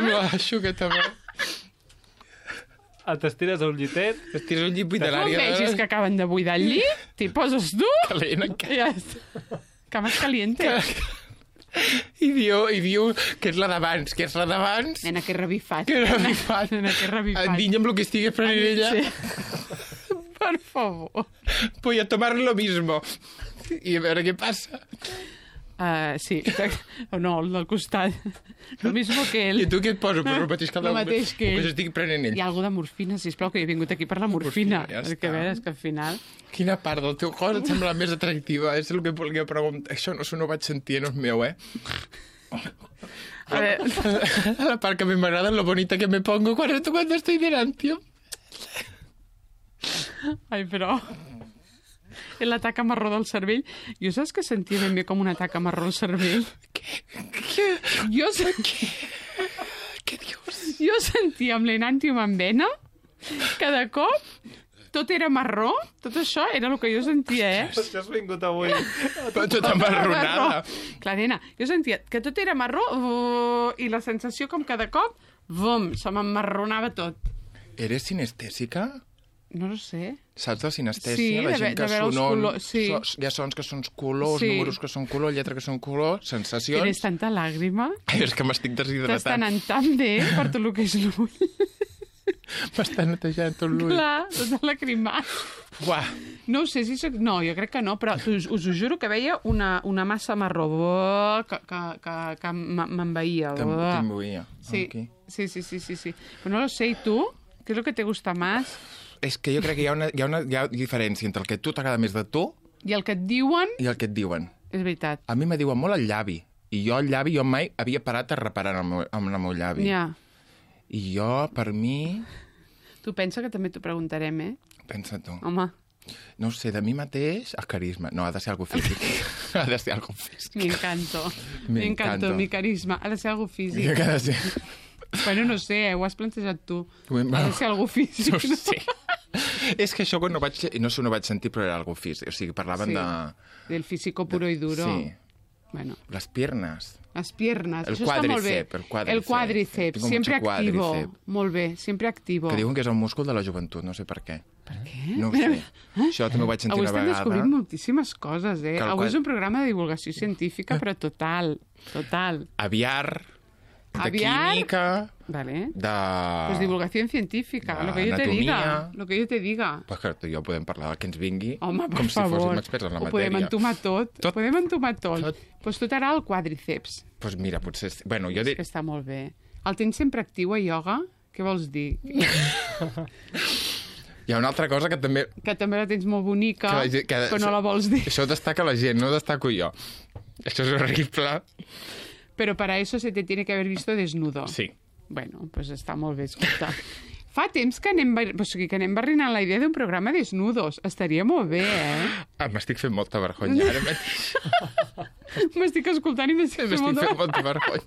amb t'estires a un llitet. T'estires un llit buit de l'àrea... No vegis que acaben de buidar el llit? T'hi poses tu? Calent encara. Ja està. Cames caliente. I diu que és la d'abans, Nena, que revifat. Nena, que revifat. Endinya amb el que estigui prenent ella. Sí. Per favor. Voy a tomar lo mismo. I a veure què passa. Sí, o no, el del costat. Lo mismo que ell. I tu què et poso? Pues el mateix que ell. Que s'estigui prenent ell. Hi ha algú de morfina, sisplau, que he vingut aquí per la morfina. Ja és que a veure, és que al final... Quina part del teu cos et sembla més atractiva? És el que volia preguntar. Això no ho vaig sentir, no és meu, A veure... La part que a mi m'agrada, lo bonita que me pongo cuando estoy delante. Ai, però... La taca marró del cervell. Jo saps que sentia ben bé com una taca marró al cervell? Què? Què dius? Jo sentia amb l'enantium en vena que de cop tot era marró. Tot això era el que jo sentia, Això has vingut avui. Tot amarronada. Clar, nena, jo sentia que tot era marró i la sensació com que de cop se m'emmarronava tot. Eres sinestèsica? No ho sé. Saps de sinestèsia? Sí, la gent que colors, sí. Hi ha sons que són colors, sí. Números que són color, lletra que són color, sensacions... Tienes tanta làgrima. És que m'estic deshidratant. T'està anant tan bé per tot el que és l'ull. M'està netejant tot l'ull. Clar, tot lacrimat. Uah. No ho sé si soc... No, jo crec que no, però us ho juro que veia una massa marró que m'envaïa. T'envaïa. Sí. Okay. Sí. Però no lo sé, i tu? Què és el que te gusta més? És que jo crec que hi ha diferència entre el que a tu t'agrada més de tu... I el que et diuen... I el que et diuen. És veritat. A mi me diuen molt el llavi. I jo el llavi, jo mai havia parat a reparar amb el meu llavi. Ja. I jo, per mi... Tu pensa que també t'ho preguntarem, Pensa tu. Home. No ho sé, de mi mateix, el carisma. No, ha de ser algo físic. Ha de ser algo físic. M'encanto, mi carisma. Ha de ser algo físic. I que ha de ser... Bueno, no sé, ho has plantejat tu. Ha de ser algo físic, no? Sí. És que això quan no sé on ho vaig sentir, però era algo físic. O sigui, parlaven de... Del físico puro y duro. Sí. Bueno. Las piernas. Las piernas. El Això està molt bé. El quadríceps, sempre activo. Molt bé, sempre activo. Que diuen que és el múscul de la joventut, no sé per què. Per què? No ho sé. Això també ho vaig sentir una vegada. Avui estem descobrint moltíssimes coses, Avui és un programa de divulgació científica, però total. Aviar... De química, vale. de... Pues divulgación científica, lo que yo te diga. Pues que tu i jo podem parlar del que ens vingui. Home, per com favor. Si fóssim experts en la matèria. Ho podem entomar tot. Pues tu t'agrada el quadríceps. Pues mira, potser... Bueno, jo dic... És que està molt bé. El tens sempre actiu a ioga? Què vols dir? Hi ha una altra cosa que també... Que també la tens molt bonica, però no la vols dir. Això destaca la gent, no destaco jo. Això és horrible. Pero para eso se te tiene que haber visto desnudo. Sí. Bueno, pues està molt bé, escolta. Fa temps que anem barrinant la idea d'un programa desnudos. Estaria molt bé, M'estic fent molta vergonya ara mateix. M'estic escoltant i m'estic fent molta vergonya.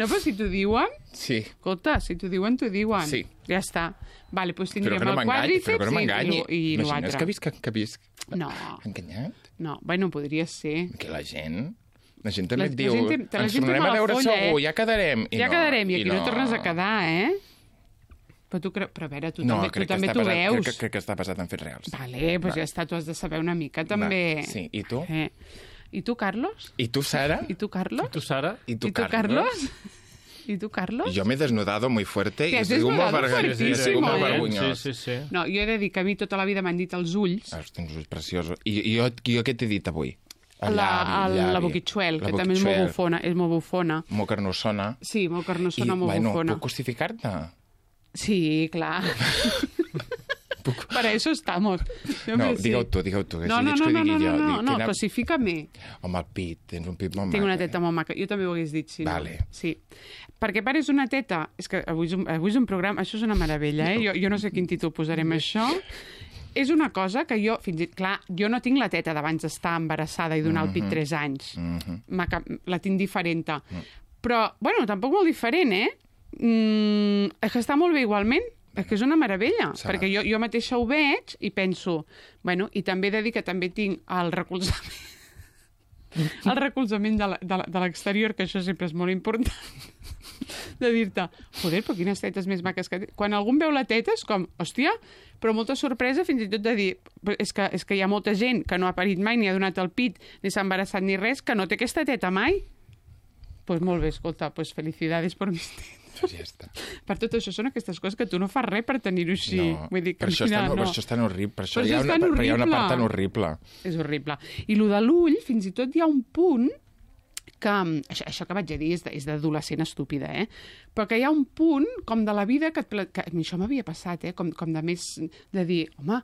No, però si t'ho diuen... Sí. Escolta, si t'ho diuen, t'ho diuen. Sí. Ja està. Vale, doncs tindríem el quadríceps però que no m'enganyi. I l'altre. Imagines que visc... No. Enganyat? No, bueno, podria ser. Que la gent... La gent també et diu, ens tornarem a veure segur, ja quedarem. Ja quedarem, i aquí no tornes a quedar, Però tu però a veure, tu també t'ho veus. Crec que està basat en fets reals. Vale, doncs ja està, tu has de saber una mica, també. Sí, i tu? I tu, Carlos? I tu, Sara? I tu, Carlos? I tu, Sara? I tu, Carlos? I tu, Carlos? Jo m'he desnudado muy fuerte i has he sigut molt fuertísimo, vergonyós. Sí. No, jo he de dir que a mi tota la vida m'han dit els ulls. Tens ulls preciosos. I jo què t'he dit avui? La boquitxuel, que també és molt bufona. És molt bufona. Molt carnossona. Sí, molt carnossona, molt bufona. Puc justificar-te? Sí, clar. Para eso estamos. No, digue-ho tu, que no, si lleig que ho digui jo. No, cosifícame. Home, el pit, tens un pit molt maca. Tinc una teta molt maca, jo també ho hagués dit, sí. Vale. Sí. Perquè pares una teta... És que avui és un programa... Això és una meravella, eh? Jo no sé quin títol posarem això. És una cosa que jo, clar, jo no tinc la teta d'abans d'estar embarassada i donar el pit 3 anys. La tinc diferent. Però, bueno, tampoc molt diferent, eh? És que està molt bé igualment. És que és una meravella, perquè jo mateixa ho veig i penso... Bueno, i també he de dir que també tinc el recolzament... El recolzament de l'exterior, que això sempre és molt important. De dir-te, joder, però quines tetes més maques que... Quan algú veu la teta és com, hòstia, però molta sorpresa fins i tot de dir, és que hi ha molta gent que no ha parit mai, ni ha donat el pit, ni s'ha embarassat ni res, que no té aquesta teta mai. Doncs molt bé, escolta, felicidades per mis tetes. Pues ja està. Per tot això són aquestes coses que tu no fas res per tenir-ho així. No, vull dir que per això és tan horrible. Per això hi ha una part tan horrible. És horrible. I el de l'ull, fins i tot hi ha un punt que... Això que vaig a dir és d'adolescent estúpida, eh? Però que hi ha un punt com de la vida que això m'havia passat, eh? Com de més de dir, home,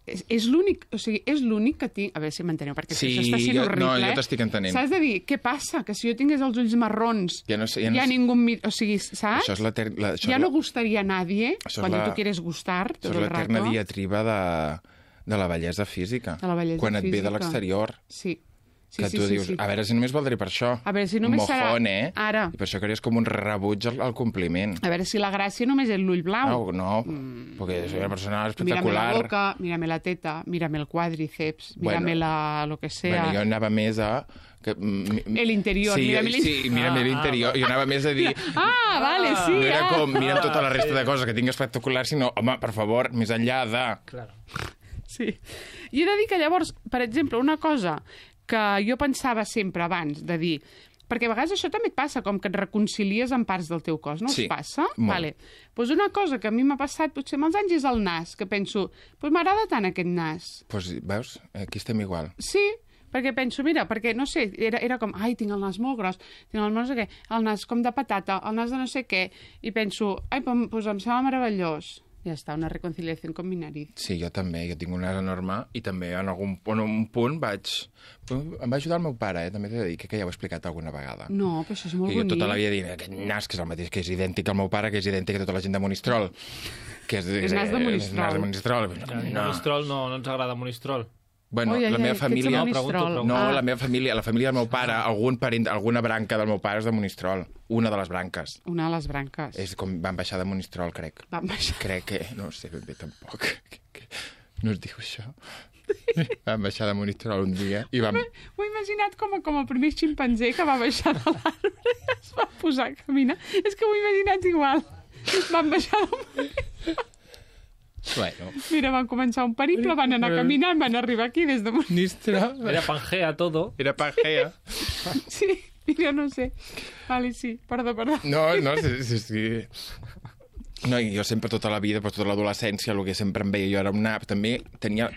és l'únic que tinc... A veure si m'enteneu, perquè això està sent horrible. No, jo t'estic entenent. Saps de dir, què passa? Que si jo tingués els ulls marrons, ja ningú... O sigui, saps? Ja no gustaria a nadie quan tu quieres gustar tot el rato. Això és l'eterna diatriba de la bellesa física. De la bellesa física. Quan et ve de l'exterior. Sí. Que tu dius, a veure si només valdré per això. A veure si només serà... Mojón, eh? Ara. I per això creus com un rebuig al compliment. A veure si la gràcia només és l'ull blau. No, perquè és una persona espectacular. Mírame la boca, mírame la teta, mírame el quàdriceps, mírame lo que sea. Bueno, jo anava més a... El interior, mírame l'interior. Sí, mírame l'interior. Jo anava més a dir... Vale, sí. Mira tota la resta de coses que tinc espectacular, sinó, home, per favor, més enllà de... Claro. Sí. I he de dir que llavors, per exemple, una cosa que jo pensava sempre abans de dir... Perquè a vegades això també et passa, com que et reconcilies amb parts del teu cos, no us passa? Molt. Vale. Pues una cosa que a mi m'ha passat potser amb els anys és el nas, que penso, pues m'agrada tant aquest nas. Pues, veus, aquí estem igual. Sí, perquè penso, mira, perquè, no sé, era com, ai, tinc el nas molt gros, tinc el no sé què, el nas com de patata, el nas de no sé què, i penso, ai, pues em sembla meravellós. Ja està, una reconciliació con mi nariz. Sí, jo també, jo tinc un nas enorme i també en un punt vaig... Em va ajudar el meu pare, també t'he de dir, que ja ho he explicat alguna vegada. No, però això és molt bonic. Jo tota la vida dic, aquest nas que és el mateix, que és idèntic al meu pare, que és idèntic a tota la gent de Monistrol. Que és nas de Monistrol. És nas de Monistrol. Monistrol no ens agrada Monistrol. Bueno, la meva família... Pregunto. No, la meva família, la família del meu pare, algun parent, alguna branca del meu pare és de Monistrol. Una de les branques. Una de les branques. És com van baixar de Monistrol, crec. Van baixar. Crec que... No sé ben bé tampoc. No es diu això. Van baixar de Monistrol un dia i vam... M'ho he imaginat com el primer ximpanzé que va baixar de l'arbre i es va posar a caminar. És que m'ho he imaginat igual. Van baixar de Monistrol. Bueno. Mira, van començar un periple, van anar caminant, van arribar aquí des de Monistrol. Era Pangea todo. Era Pangea. Sí, mira, no sé. Vale, sí, perdó. No, sí. No, jo sempre tota la vida, tota l'adolescència, el que sempre em veia jo era un nap. També tenia,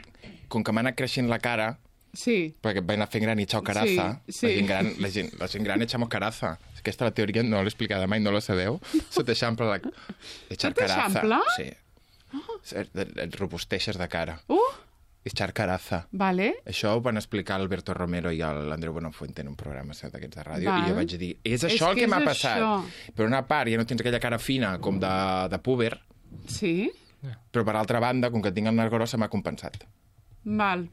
com que m'ha anat creixent la cara, sí. Perquè vaig anar fent gran i echar caraza. Sí. La gent gran echamos caraza. Aquesta la teoria no l'he explicada mai, no la sabeu? Se t'eixampla la... Echar caraza. Sí. Et robusteixes de cara. Echar caraza. Vale. Això ho van explicar Alberto Romero i l'Andreu Buenafuente en un programa d'aquests de ràdio. I jo vaig dir, és això el que m'ha passat. Això. Per una part, ja no tens aquella cara fina com de púber. Sí. Però per altra banda, com que tinc el nas gros, se m'ha compensat. Val.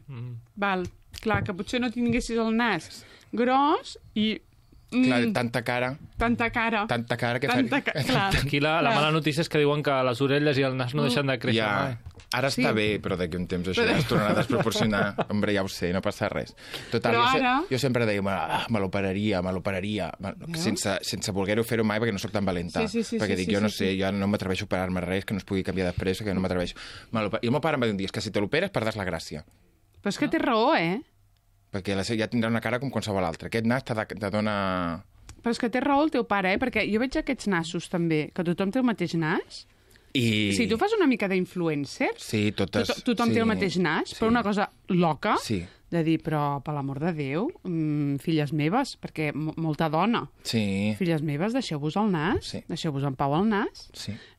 Clar, que potser no tinguessis el nas gros i... Clar, tanta cara que clar. Aquí la mala notícia és que diuen que les orelles i el nas no deixen de créixer. Ja, ara està bé, però d'aquí un temps això ja es tornarà a desproporcionar. Hombre, ja ho sé, no passa res. Total, jo sempre deia, me l'operaria, sense voler-ho fer-ho mai perquè no sóc tan valenta. Perquè dic, jo no sé, jo no m'atreveixo a operar-me res, que no es pugui canviar de pressa, que no m'atreveixo. I el meu pare em va dir un dia, és que si te l'operes perdràs la gràcia. Però és que té raó, eh? Perquè ja tindrà una cara com qualsevol altra. Aquest nas te dona... Però és que té raó el teu pare, perquè jo veig aquests nassos també, que tothom té el mateix nas. Si tu fas una mica d'influencer, tothom té el mateix nas, però una cosa loca, de dir, però per l'amor de Déu, filles meves, perquè molta dona, filles meves, deixeu-vos el nas, deixeu-vos en pau el nas.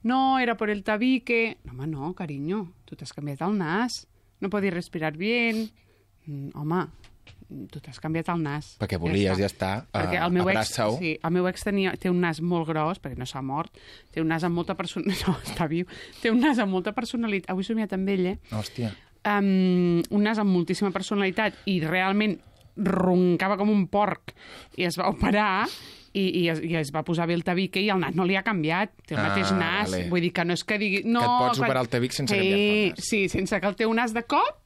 No, era por el tabique. No, home, no, carinyo, tu t'has canviat el nas, no podis respirar bien. Home, tu t'has canviat el nas. Perquè volies, ja està, abraça-ho. Sí, el meu ex té un nas molt gros, perquè no s'ha mort, té un nas amb molta personalitat, no, està viu, té un nas amb molta personalitat, avui he somiat amb ell, Hòstia. Un nas amb moltíssima personalitat i realment roncava com un porc i es va operar i es va posar bé el tabique i el nas no li ha canviat, té el mateix nas, vull dir que no és que digui... No, que et pots operar el tabic sense canviar el nas. Sí, sense que el teu nas de cop,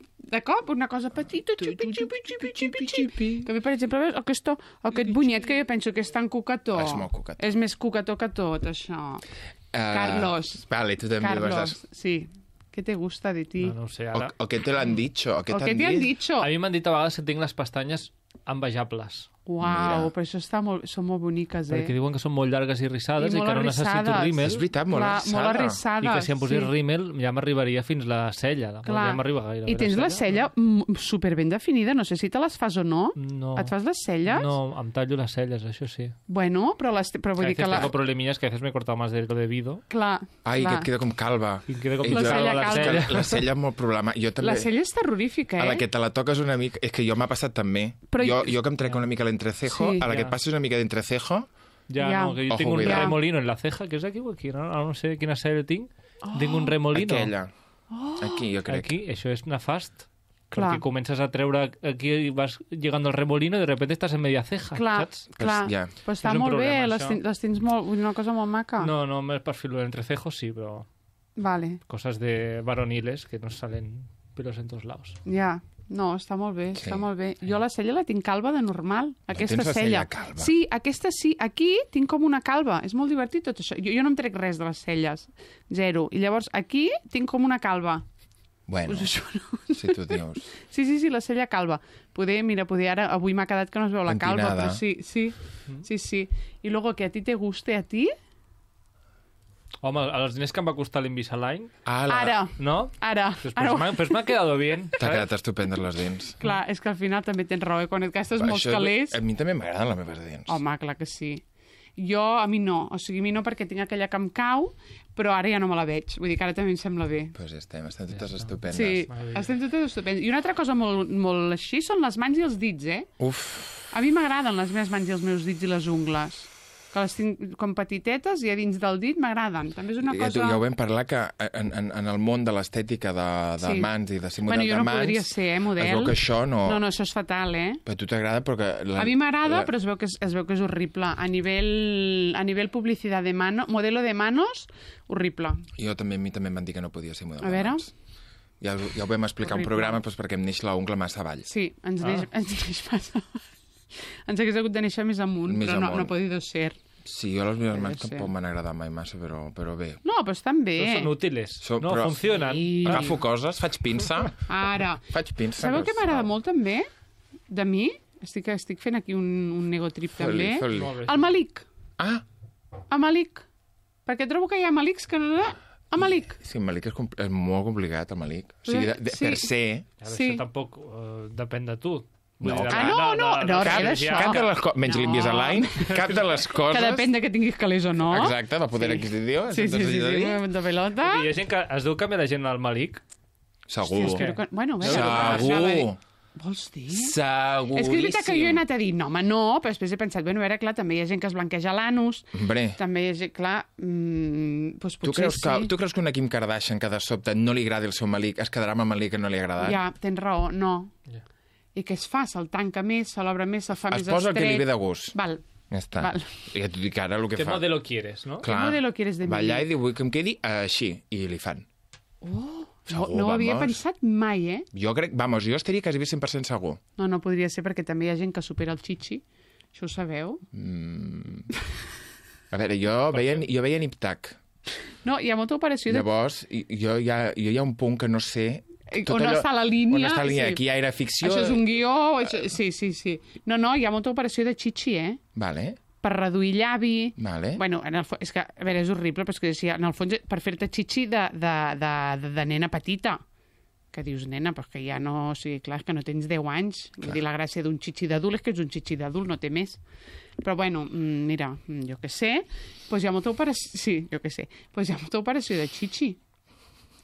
una cosa petita, xipi. Que a mi, per exemple, aquest bunyet que jo penso que és tan cucató. És molt cucató. És més cucató que tot, això. Carlos. Vale, tu també Carlos, sí. ¿Qué te gusta de ti? No sé, ara... O què te l'han dicho? O què t'han dicho? A mi m'han dit a vegades que tinc les pestanyes envejables. Uau, però això són molt boniques, Perquè diuen que són molt llargues i rissades i que no necessito rímel. És veritat, molt arrissades. I que si em posés rímel ja m'arribaria fins la cella. Ja m'arriba gaire. I tens la cella superben definida, no sé si te les fas o no. No. Et fas les celles? No, em tallo les celles, això sí. Bueno, però vull dir que... Tengo problemillas que a veces me he cortado más de lo debido. Clar. Ai, que et queda com calva. I queda com la cella. La cella és molt problema. La cella és terrorífica, A la que te la toques una mica... És que jo m'ha passat també. Jo que em trec una mica l'entrecejo, a la que et passes una mica d'entrecejo... No, que jo tinc un remolino en la ceja, que és aquí o aquí, no sé quina cella tinc. Tinc un remolino. Aquella. Aquí, jo crec. Aquí, això és nefast. Perquè comences a treure aquí i vas llegant al remolino i de repente estàs en media ceja, saps? Clar, però està molt bé, les tens una cosa molt maca. No, és per fer l'entrecejo, sí, però... Vale. Cosas de varoniles que nos salen pelos en todos lados. Ja. No, està molt bé, està molt bé. Jo la cella la tinc calva de normal, aquesta tens la cella. calva? Sí, aquesta sí. Aquí tinc com una calva. És molt divertit tot això. Jo no em trec res de les celles. Zero. I llavors aquí tinc com una calva. Bueno, pues això no. Si tu dius. Sí, la cella calva. Poder ara, avui m'ha quedat que no es veu la calva, però sí. I luego que a ti te guste a ti... Home, els diners que em va costar l'Invisalign... Ara. No? Ara. Pues m'ha quedado bien. T'ha quedat estupend les dents. Clar, és que al final també tens raó, quan et gastes molts calés... A mi també m'agraden les meves dents. Home, clar que sí. A mi no. O sigui, a mi no perquè tinc aquella que em cau, però ara ja no me la veig. Vull dir que ara també em sembla bé. Doncs estem totes estupendes. Sí, estem totes estupendes. I una altra cosa molt així són les mans i els dits, Uf. A mi m'agraden les meves mans i els meus dits i les ungles. Que les tinc com petitetes i a dins del dit m'agraden. També és una cosa... Ja ho vam parlar, que en el món de l'estètica de mans i de ser model de mans... Jo no podria ser, model. Es veu que això no... No, això és fatal, Però a tu t'agrada perquè... A mi m'agrada, però es veu que és horrible. A nivell publicitat de mano, modelo de manos, horrible. A mi també em van dir que no podia ser model de mans. Ja ho vam explicar un programa perquè em neix l'ungla massa avall. Sí, ens neix massa avall. Ens hagués hagut de néixer més amunt, però no ha podido ser. Sí, jo les meves mans tampoc m'han agradat mai massa, però bé. No, però estan bé. Però són útils. Funcionen. Agafo coses, faig pinça. Ara. Faig pinça. Sabeu què m'agrada molt també? De mi? Estic fent aquí un negotrip també. El Malik. El Malik. Perquè trobo que hi ha Maliks que no... El Malik. Sí, el Malik és molt complicat, el Malik. O sigui, per ser... Això tampoc depèn de tu. No, res d'això. Menys l'Invisalign, cap de les coses... Que depèn de que tinguis calés o no. Exacte, del poder adquisitiu. Sí, de pelota. Hi ha gent que es diu canviar la gent al Malik. Segur. Segur. Vols dir? Seguríssim. És que és veritat que jo he anat a dir, no, home, no, però després he pensat, bueno, ara, clar, també hi ha gent que es blanqueja l'anus. També hi ha gent, clar, doncs potser sí. Tu creus que una Kim Kardashian que de sobte no li agradi el seu Malik es quedarà amb el Malik que no li ha agradat? Ja, tens raó, no. I què es fa? Se'l tanca més, se l'obre més, se'l fa més estret... Es posa el que li ve de gust. Val. Ja està. Ja t'ho dic ara el que fa. ¿Qué modelo quieres, no? ¿Qué modelo quieres de mi? Va allà i diu, vull que em quedi així. I li fan. No ho havia pensat mai, Jo crec, jo estaria quasi 100% segur. No podria ser perquè també hi ha gent que supera el xixi. Això ho sabeu? A veure, jo veia Nip-Tac. No, hi ha molta operació... Llavors, jo hi ha un punt que no sé... On està la línia. On està la línia. Aquí ja era ficció. Això és un guió... Sí. No, hi ha molta operació de xixi, Vale. per reduir llavi... Vale. Bueno, és que, a veure, és horrible, però és que en el fons per fer-te xixi de nena petita. Que dius, nena, però que ja no... O sigui, clar, que no tens 10 anys. Vull dir, la gràcia d'un xixi d'adult és que és un xixi d'adult, no té més. Però, bueno, mira, jo què sé, doncs hi ha molta operació... Sí, jo què sé. Doncs hi ha molta operació de xixi.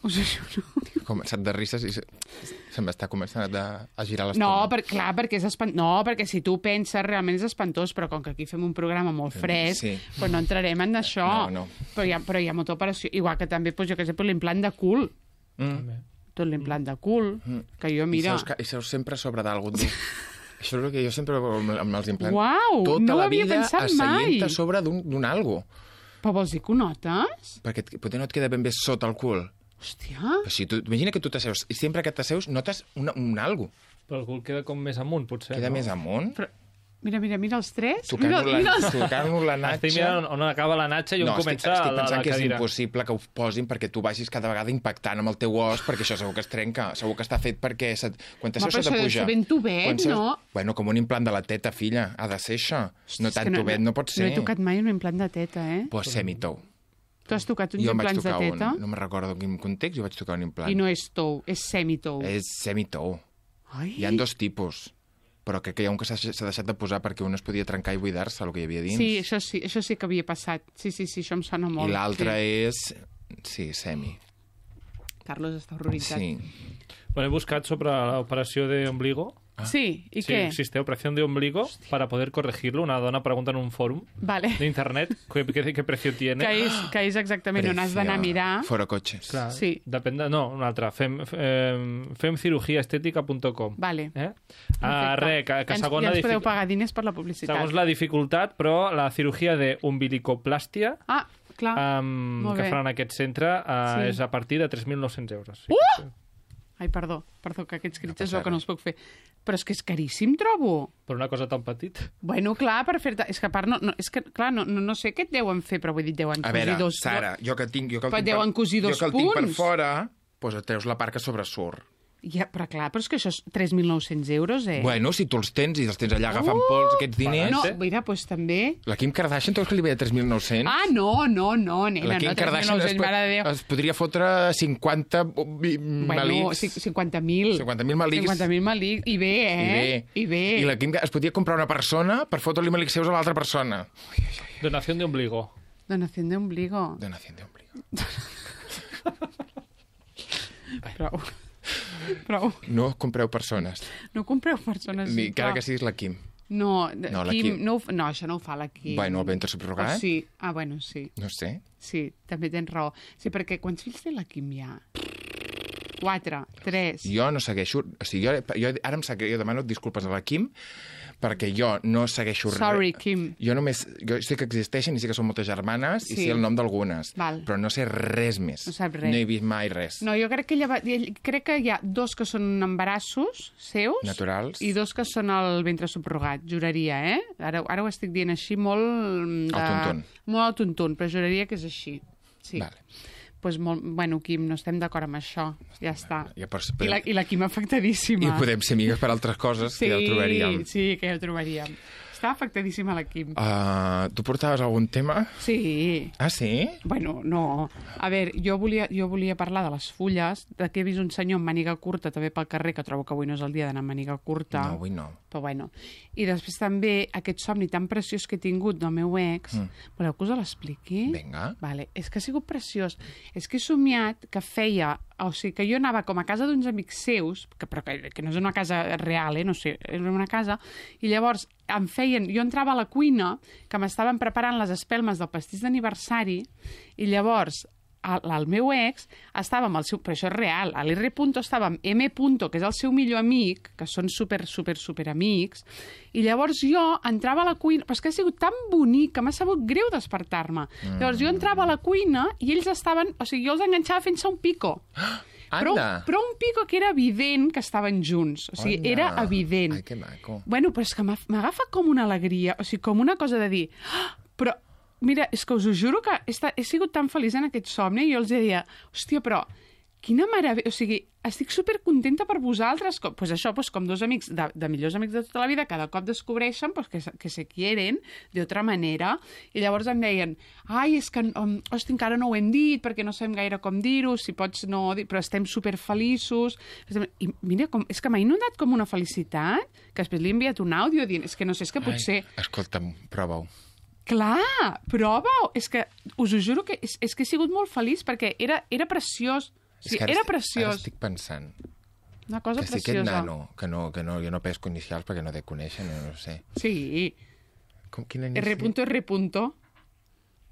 Us ho juro. He començat de risses i se m'està començant a girar l'estómac. No, clar, perquè és espantós. No, perquè si tu penses, realment és espantós, però com que aquí fem un programa molt fresc, doncs no entrarem en això. No. Però hi ha molta operació. Igual que també, doncs, jo què sé, l'implant de cul. Tot l'implant de cul, que jo, mira... I seus sempre a sobre d'algú. Això és el que jo sempre amb els implants... Uau, no ho havia pensat mai. Asseient a sobre d'un algo. Però vols dir que ho notes? Perquè potser no et queda ben bé sota el cul. Hòstia. Si imagina que tu t'asseus, i sempre que t'asseus notes un algo. Però el cul queda com més amunt, potser. Queda més amunt? Però, mira els tres. Tocant-nos la natxa. Estic mirant on acaba la natxa i on comença la cadira. Estic pensant que és impossible que ho posin perquè tu vagis cada vegada impactant amb el teu os, perquè això segur que es trenca. Segur que està fet perquè quan t'asseus se t'apuja. Però això ben tubet, no? Bueno, com un implant de la teta, filla. Ha de ser això. No tan tubet no pot ser. No he tocat mai un implant de teta, Pues semi-tou. Tu has tocat uns implants de teta? No me'n recordo en quin context, jo vaig tocar un implant. I no és tou, és semi-tou. És semi-tou. Hi ha 2 tipus, però crec que hi ha un que s'ha deixat de posar perquè un es podia trencar i buidar-se el que hi havia dins. Sí, això sí que havia passat. Sí, això em sona molt. I l'altre és... Sí, semi. Carlos està horroritzat. Sí. Bueno, he buscat sobre l'operació d'ombligo. Sí, ¿y qué? Existe operación de ombligo para poder corregirlo. Una dona pregunta en un fòrum de internet qué precio tiene. Que és exactament on has d'anar a mirar. Fora cotxes. Clar, sí. No, una altra. femcirugiaestética.com. Vale. Que segons ens podeu pagar diners per la publicitat. Segons la dificultat, però la cirurgia d'umbilicoplastia clar. Que faran en aquest centre és a partir de 3.900 euros. Ai, perdó, que aquests crits és el que no els puc fer. Però és que és caríssim, trobo. Per una cosa tan petit. Bueno, clar, per fer-te... És que a part, no sé què et deuen fer, però vull dir, deuen cosir dos... A veure, Sara, jo que el tinc per fora, doncs et treus la part que sobresurt. Ja, però clar, però és que això és 3.900 euros, Bueno, si tu els tens i els tens allà agafant pols, aquests diners... No, mira, doncs també... La Kim Kardashian, tu veus que li ve de 3.900? Ah, no, nena, la Kim Kardashian es podria fotre 50 malics. 50.000. 50.000 malics. 50.000 malics. I bé, I bé. I la Kim es podia comprar una persona per fotre-li malics seus a l'altra persona. Donación de ombligo. Donación de ombligo. Prou. No compreu persones. No compreu persones. Ni encara que siguis la Kim. No, Kim, no, això no ho fa la Kim. Bueno, el ventre subrogat? Sí. Bueno, sí. No sé. Sí, també tens raó. Sí, perquè quants fills té la Kim ja? 4, 3... Jo no segueixo... O sigui, jo demano disculpes a la Kim perquè jo no segueixo res. Sorry, Kim. Jo sé que existeixen i sé que són moltes germanes i sé el nom d'algunes, però no sé res més. No saps res. No he vist mai res. No, jo crec que hi ha 2 que són embarassos seus. Naturals. I 2 que són el ventre subrogat, juraria, Ara ho estic dient així molt... Al tuntun. Molt al tuntun, però juraria que és així. Sí. Vale. Pues bueno, Kim, no estem d'acord amb això. Ja està. I la Kim afectadíssima. I podem ser amigues per altres coses, que ja ho trobaríem. Sí, que ja ho trobaríem. Està afectadíssima la Kim. Tu portaves algun tema? Sí. Ah, sí? Bueno, no. A veure, jo volia parlar de les fulles, de que he vist un senyor amb màniga curta també pel carrer, que trobo que avui no és el dia d'anar amb màniga curta. No, avui no. Però bueno. I després també aquest somni tan preciós que he tingut del meu ex. Voleu que us l'expliqui? Vinga. Vale. És que ha sigut preciós. És que he somiat que feia... O sigui, que jo anava com a casa d'uns amics seus, però que no és una casa real, no sé, és una casa, i llavors jo entrava a la cuina, que m'estaven preparant les espelmes del pastís d'aniversari, i llavors el meu ex estava amb el seu... Però això és real. A l'R. estava amb M. que és el seu millor amic, que són super amics, i llavors jo entrava a la cuina... Però és que ha sigut tan bonic que m'ha sabut greu despertar-me. Llavors jo entrava a la cuina i ells estaven... O sigui, jo els enganxava fent-se un pico. Però un pico que era evident que estaven junts. O sigui, era evident. Ai, que maco. Bueno, però és que m'agafa com una alegria, o sigui, com una cosa de dir... Però, mira, és que us ho juro que he sigut tan feliç en aquest somni i jo els deia, hòstia, però quina meravella, o sigui, estic supercontenta per vosaltres, pues això, pues com dos amics, de millors amics de tota la vida, cada cop descobreixen pues, que se quieren d'altra manera, i llavors em deien, ai, és que, hosti, encara no ho hem dit, perquè no sabem gaire com dir-ho, si pots no dir, però estem superfeliços, i mira, és que m'ha inundat com una felicitat, que després li he enviat un àudio dient, és que no sé, és que potser... Ai, escolta'm, prova-ho. Clar, prova-ho, és que us ho juro que és que he sigut molt feliç, perquè era preciós. Sí, era preciós. Ara estic pensant una cosa que si preciosa. aquest nano, que no, jo no pesco inicials perquè no dec conèixer, no sé. Sí. Quin inici? R.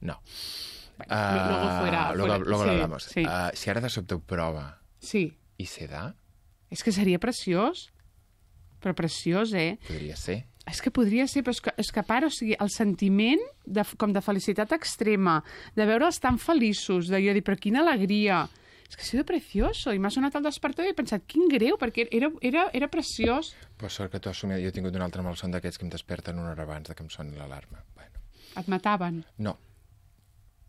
No. Luego fuera. Luego lo sí, hablamos. Sí. Si ara de sobte ho prova sí. i se da... És que seria preciós. Però preciós, Podria ser. És que podria ser, però és que a part, o sigui, el sentiment com de felicitat extrema, de veure'ls tan feliços, de jo dir, però quina alegria... És que ha sido precioso, i m'ha sonat el despertador i he pensat, quin greu, perquè era preciós. Per sort que t'ho has somiat. Jo he tingut un altre malson d'aquests que em desperten una hora abans que em soni l'alarma. Bueno. Et mataven? No.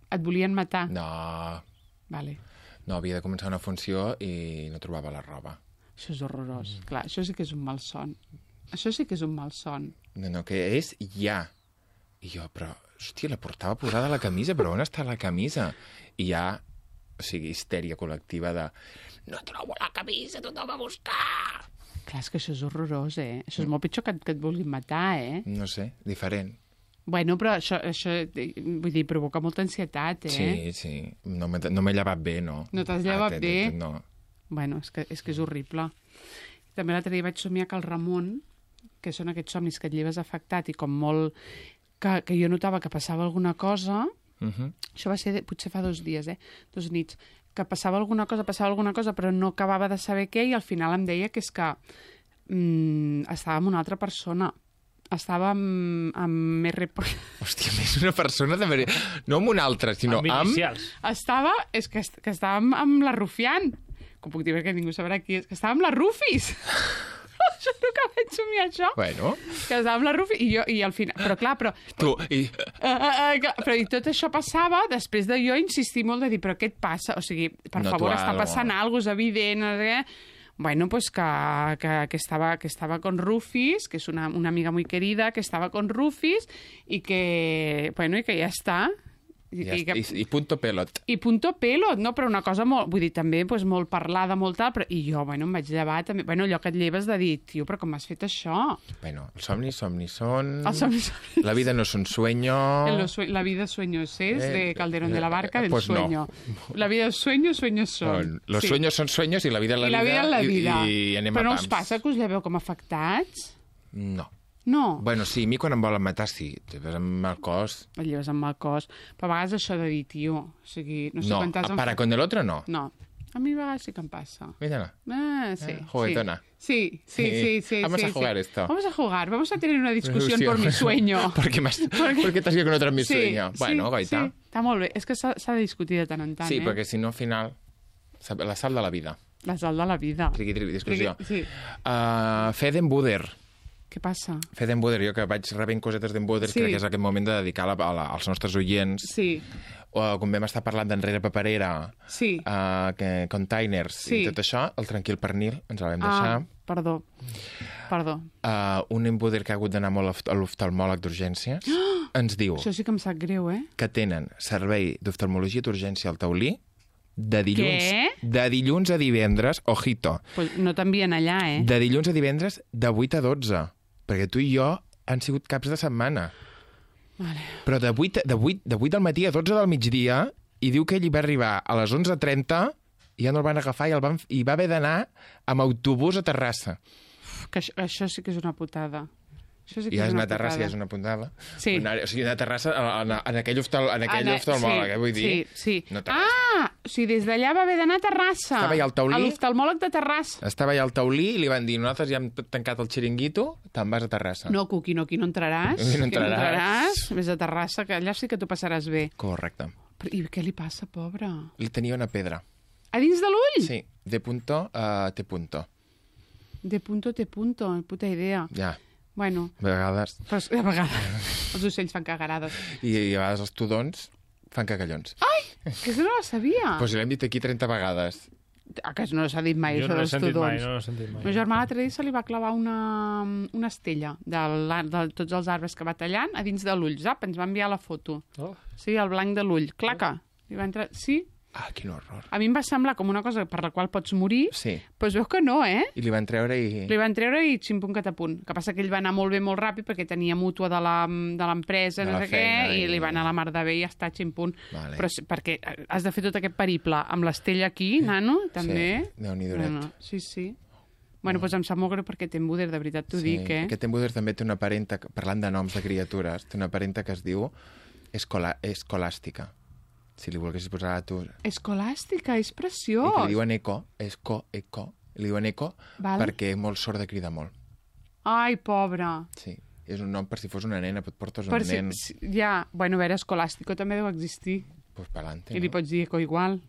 Et volien matar? No. Vale. No, havia de començar una funció i no trobava la roba. Això és horrorós. Clar, això sí que és un malson. Això sí que és un malson. No, que és ja. I jo, però, hòstia, la portava posada la camisa, però on està la camisa? I ja... O sigui, histèria col·lectiva de no trobo la camisa, tothom a buscar! Clar, és que això és horrorós, Això és molt pitjor que et vulguin matar, No sé, diferent. Bueno, però això vull dir, provoca molta ansietat, Sí. No m'he llevat bé, no. No t'has llevat bé? No. Bueno, és que és horrible. També l'altre dia vaig somiar que el Ramon, que són aquests somnis que et lleves afectat i com molt... que jo notava que passava alguna cosa... Això va ser potser fa 2 dies, 2 nits, que passava alguna cosa, però no acabava de saber què, i al final em deia que és que estava amb una altra persona. Estava amb R... Hòstia, més una persona de... No amb una altra, sinó amb... inicials. És que estava amb la Rufián. Com puc dir, perquè ningú sabrà qui és. Que estava amb la Rufis. Això nunca vaig somiar això. Bueno. Que estava amb la Rufi i al final... Però clar, però... Tu, i... Però i tot això passava després de jo insistir molt de dir, però què et passa? O sigui, per favor, està passant alguna cosa, és evident, no sé què. Bueno, pues que estaba con Rufis, que es una amiga muy querida, que estaba con Rufis y que, bueno, y que ja està. I punto pelot. I punto pelot, no? Però una cosa molt... Vull dir, també pues, molt parlada, molt tal, però... I jo, bueno, em vaig llevar també... Bueno, allò que et lleves de dir, tio, però com has fet això? Bueno, els somnis són... Els somnis són... La vida no és un sueño... La vida sueño es de Calderón de la Barca, del pues sueño. No. La vida es sueños son. Los sueños son sueños i la vida és la vida. I la vida és la vida. I anem però a pams. no us passa que us lleveu com afectats? No. No. Bueno, sí, a mi quan em volen matar, sí. Te ves amb mal cos. Et lleves amb mal cos. Però a vegades això de dir, tio, o sigui... No, sé para con el otro no. No. A mi a vegades sí que em passa. Mírala. Sí. Juguetona. Sí. Vamos a jugar esto. Vamos a jugar. Vamos a tener una discusión por mi sueño. Porque t'has ido con otro en mi sueño. Bueno, goita. Sí, està molt bé. És que s'ha de discutir de tant en tant, Sí, perquè si no, al final... La sal de la vida. La sal de la vida. Triqui, discussió. Sí. Fed'en-Buder. Què passa? Fed'en-Buder, jo que vaig rebent cosetes d'en-Buder, crec que és aquest moment de dedicar als nostres oients. Sí. Com vam estar parlant d'Enrere Paperera, Containers i tot això, el Tranquil Pernil, ens el vam deixar. Perdó. Un en-Buder que ha hagut d'anar molt a l'oftalmòleg d'urgències, ens diu... Això sí que em sap greu, que tenen servei d'oftalmologia d'urgència al Taulí de dilluns a divendres, ojito. Pues no t'envien allà, De dilluns a divendres de 8 a 12, perquè tu i jo han sigut caps de setmana. Vale. Però de 8 del matí a 12 del migdia, i diu que ell hi va arribar a les 11:30 i ja no el van agafar i va haver d'anar amb autobús a Terrassa. Que això sí que és una putada. Això sí que ja és una una Terrassa, putada. ja és una puntada. Sí. O sigui, una Terrassa en aquell oftalmòleg, vull dir. Sí. No o sigui, des d'allà va haver d'anar a Terrassa. Estava allà al Taulí. A l'oftalmòleg de Terrassa. Estava allà al Taulí i li van dir, nosaltres ja hem tancat el xiringuito, te'n vas a Terrassa. No, Cuqui, no, aquí no entraràs. Aquí no entraràs. Vés a Terrassa, que allà sí que t'ho passaràs bé. Correcte. I què li passa, pobre? Li tenia una pedra. A dins de l'ull? Sí, de punto a T punto. De punto a T punto, puta idea. Ja. Bueno. A vegades. Però a vegades. Els ocells fan cagarades. I a vegades els tudons fan cagallons. Ai! Que això no la sabia. Pues l'hem dit aquí 30 vegades. que no s'ha dit mai, jo això no dels tudons. No l'he sentit mai. El meu germà l'altre dia se li va clavar una estella de tots els arbres que va tallant a dins de l'ull. Zap, ens va enviar la foto. Sí, el blanc de l'ull. Claca. Li va entrar... Sí. Ah, quin horror. A mi em va semblar com una cosa per la qual pots morir, sí. Però es veu que no, eh? I li van treure i... Li van treure i ximpunt catapunt. Que passa que ell va anar molt bé, molt ràpid, perquè tenia mútua de l'empresa, no sé què, i li va anar a la mar de bé i ja està ximpunt. Vale. Però perquè has de fer tot aquest periple amb l'estella aquí, nano, també. Sí, Déu-n'hi-do. No. Sí. Bueno, doncs em sap molt greu perquè Tim Buder, de veritat t'ho dic, eh? Aquest Tim Buder també té una parenta, parlant de noms de criatures, té una parenta que es diu Escolàstica. Si li volguessis posar a tu... Escolàstica, és preciós. I que li diuen eco, li diuen eco perquè molt sorda crida molt. Ai, pobra. Sí, és un nom per si fos una nena, et portes un nen. Ja, bueno, a veure, Escolàstico també deu existir. Pues pa'lante, I li pots dir eco igual.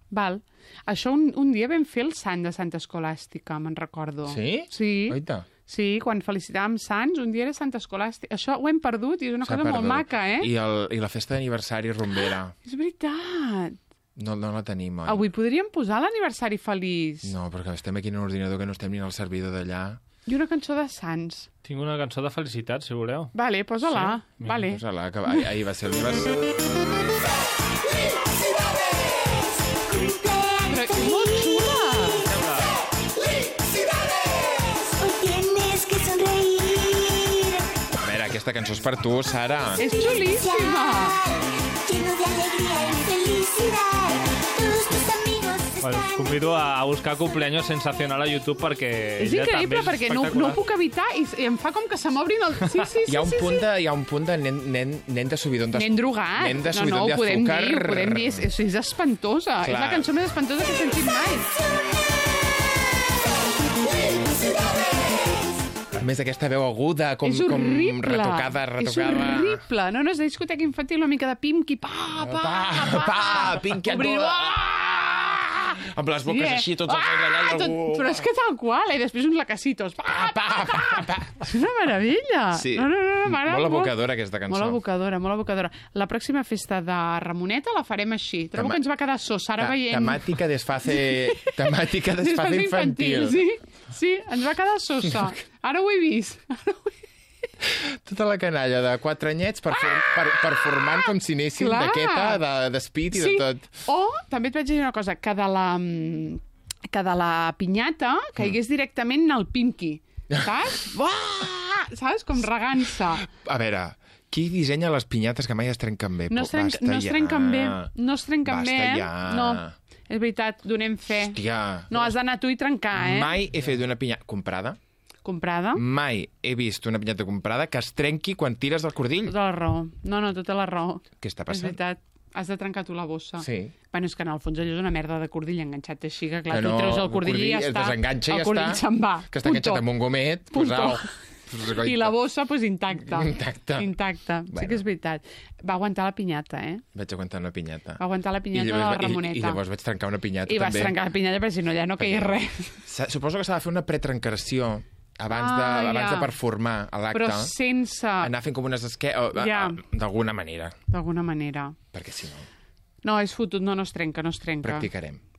Val. Això un dia vam fer el sant de Santa Escolàstica, me'n recordo. Sí? Sí. Oita. Sí, quan felicitàvem sants, un dia era Santa Escolàstica. Això ho hem perdut i és una cosa molt maca, eh? I la festa d'aniversari rumbera. És veritat. No la tenim, oi? Avui podríem posar l'aniversari feliç. No, perquè estem aquí en un ordinador que no estem ni al servidor d'allà. I una cançó de sants. Tinc una cançó de felicitat, si voleu. Vale, posa-la. Sí? Vale. Posa-la, que ahir va ser l'aniversari. Però és molt xula. Aquesta cançó és per tu, Sara. És xulíssima. Bueno, us convido a buscar Cumpleaños Sensacional a YouTube perquè... És increïble, perquè no ho puc evitar i em fa com que se m'obrin el... Sí. Hi ha un punt de nen de subidon d'azúcar. Nen drogat. Nen de subidon d'azúcar. No, ho podem dir. És espantosa. Clar. És la cançó més espantosa que he sentit mai. A més, aquesta veu aguda, com retocada. És horrible. No, és discoteca infantil, una mica de Pimqui. Pimqui a amb les boques així, tots els allà i algú... Però és que tal qual, i després uns lacacitos. És una meravella. Sí, molt evocadora aquesta cançó. Molt evocadora. La pròxima festa de Ramoneta la farem així. Trobo que ens va quedar Sara veient... Temàtica desfase infantil. Sí, ens va quedar sosa. Ara ho he vist. Tota la canalla de 4 anyets per formant com si anessin d'aquesta, d'espit i de tot. O, també et vaig dir una cosa, que de la pinyata caigués directament al Pimqui. Saps? Saps? Com regant-se. A veure, qui dissenya les pinyates que mai es trenquen bé? No es trenquen bé. Basta ja. No, és veritat, donem fe. Hòstia. No, has d'anar tu i trencar, eh? Mai he fet una pinyata comprada. Mai he vist una pinyata comprada que es trenqui quan tires del cordill. Tota la raó. No, tota la raó. Què està passant? És veritat. Has de trencar tu la bossa. Sí. Bueno, és que en el fons allò és una merda de cordill enganxat així, que clar, tu treus el cordill i ja està. Es desenganxa i ja està. El cordill se'n va. Que està enganxat amb un gomet. I la bossa, intacta. Intacta. Sí que és veritat. Va aguantar la pinyata, eh? Vaig aguantar una pinyata. Va aguantar la pinyata de la Ramoneta. I llavors vaig trencar una pinyata, també. I vas trencar la pinyata, perquè si no ja no caia res. Suposo que s'ha de fer una pretrencació abans de performar a l'acte. Però sense... Anar fent com unes d'alguna manera. D'alguna manera. Perquè si no... No, és fotut, no es trenca.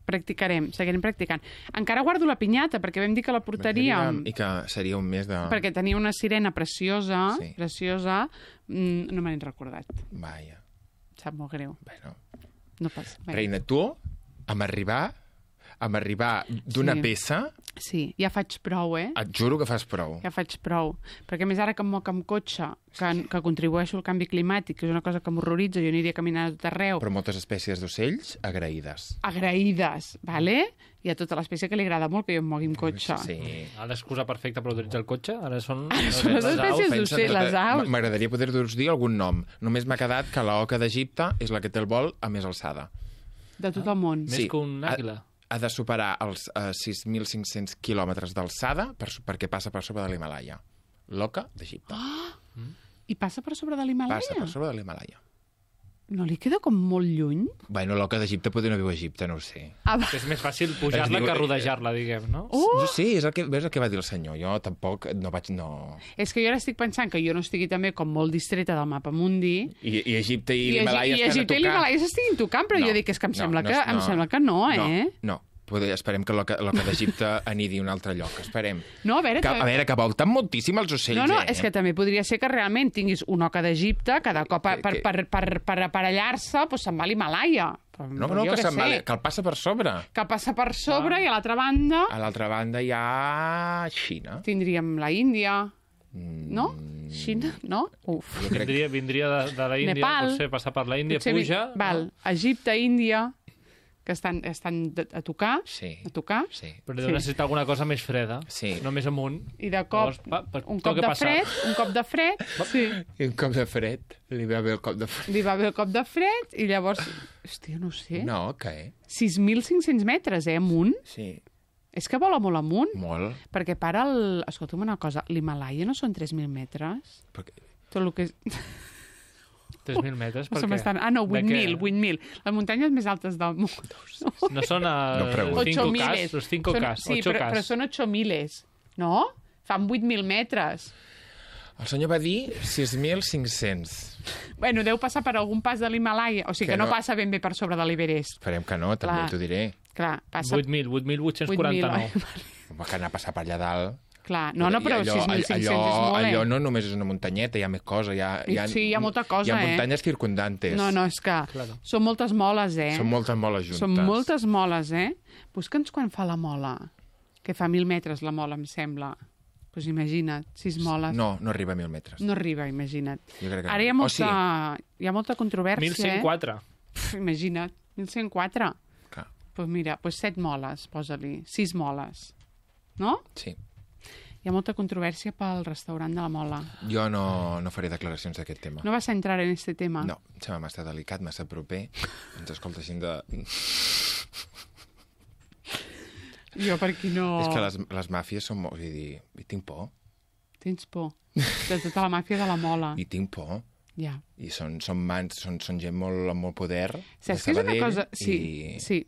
Practicarem, seguirem practicant. Encara guardo la pinyata, perquè vam dir que la portaríem. I que seria un mes de... Perquè tenia una sirena preciosa, no me n'he recordat. Vaja. Sap molt greu. Bueno. No passa. Reina, tu, amb arribar d'una peça... Sí, ja faig prou, eh? Et juro que fas prou. Ja faig prou. Perquè més ara que em moc amb cotxe, que contribueixo al canvi climàtic, que és una cosa que m'horroritza, jo aniria caminant a tot arreu. Però moltes espècies d'ocells agraïdes. Agraïdes, vale? Hi ha tota l'espècie que li agrada molt que jo em mogui amb cotxe. Sí. Ara l'excusa perfecta per utilitzar el cotxe, ara són les espècies d'ocells, les aus. M'agradaria poder-vos dir algun nom. Només m'ha quedat que l'oca d'Egipte és la que té el vol a més alçada. De tot el món. Més que un àguila. Ha de superar els 6.500 quilòmetres d'alçada perquè passa per sobre de l'Himàlaia. L'oca d'Egipte. I passa per sobre de l'Himàlaia? Passa per sobre de l'Himàlaia. No li queda com molt lluny? Bueno, l'oca d'Egipte potser no viu a Egipte, no ho sé. És més fàcil pujar-la que rodejar-la, diguem, no? Sí, és el que va dir el senyor. Jo tampoc no vaig... És que jo ara estic pensant que jo no estigui també com molt distreta del mapa mundi. I Egipte i l'Himàlaia estan a tocar. I Egipte i l'Himàlaia s'estiguin tocant, però jo dic, és que em sembla que no, eh? No. Esperem que l'oca d'Egipte anidi a un altre lloc. Esperem. No, a veure, que volten moltíssim els ocells, No, és que també podria ser que realment tinguis una oca d'Egipte, cada cop per aparellar-se, doncs se'n va a l'Himàlaia. No, que el passa per sobre. Que passa per sobre i a l'altra banda... A l'altra banda hi ha Xina. Tindríem la Índia. No? Xina? No? Uf. Vindria de la Índia, Nepal. potser passar per la Índia, puja... Val, Egipte, Índia... que estan a tocar, a tocar. Sí. Però deu necessitar alguna cosa més freda, no més amunt. I de cop, un cop de fred, sí. I un cop de fred, li va bé el cop de fred. Li va bé el cop de fred, i llavors, hòstia, no sé. No, què? 6.500 metres, amunt? Sí. És que vola molt amunt. Molt. Perquè escolta'm una cosa, l'Himàlaia no són 3.000 metres? Tot el que és... 3.000 metres, per què? 8.000. Les muntanyes més altes del món. No són els 5K? Sí, però són 8.000, no? Fan 8.000 metres. El senyor va dir 6.500. Bueno, deu passar per algun pas de l'Himàlaia, o sigui que no passa ben bé per sobre de l'Everest. Esperem que no, també t'ho diré. Clar, passa... 8.849. Va que anar a passar per allà dalt... Clar, no, però 6.500 és molt, Allò no només és una muntanyeta, hi ha més cosa. Sí, hi ha molta cosa, Hi ha muntanyes circundantes. No, és que són moltes moles, Són moltes moles juntes. Són moltes moles, Busca'ns quan fa la mola, que fa 1.000 metres la mola, em sembla. Doncs imagina't, 6 moles. No arriba a 1.000 metres. No arriba, imagina't. Ara hi ha molta controvèrsia. 1.104. Imagina't, 1.104. Doncs mira, 7 moles, posa-li, 6 moles. No? Sí. Hi ha molta controvèrsia pel restaurant de la Mola. Jo no faré declaracions d'aquest tema. No vas a entrar en aquest tema? No, em sembla massa delicat, massa proper. Ens escolta gent de... Jo per aquí no... És que les màfies són molt... I tinc por. Tens por? De tota la màfia de la Mola. I tinc por. Ja. I són mans, són gent amb molt poder. Saps que és una cosa... Sí.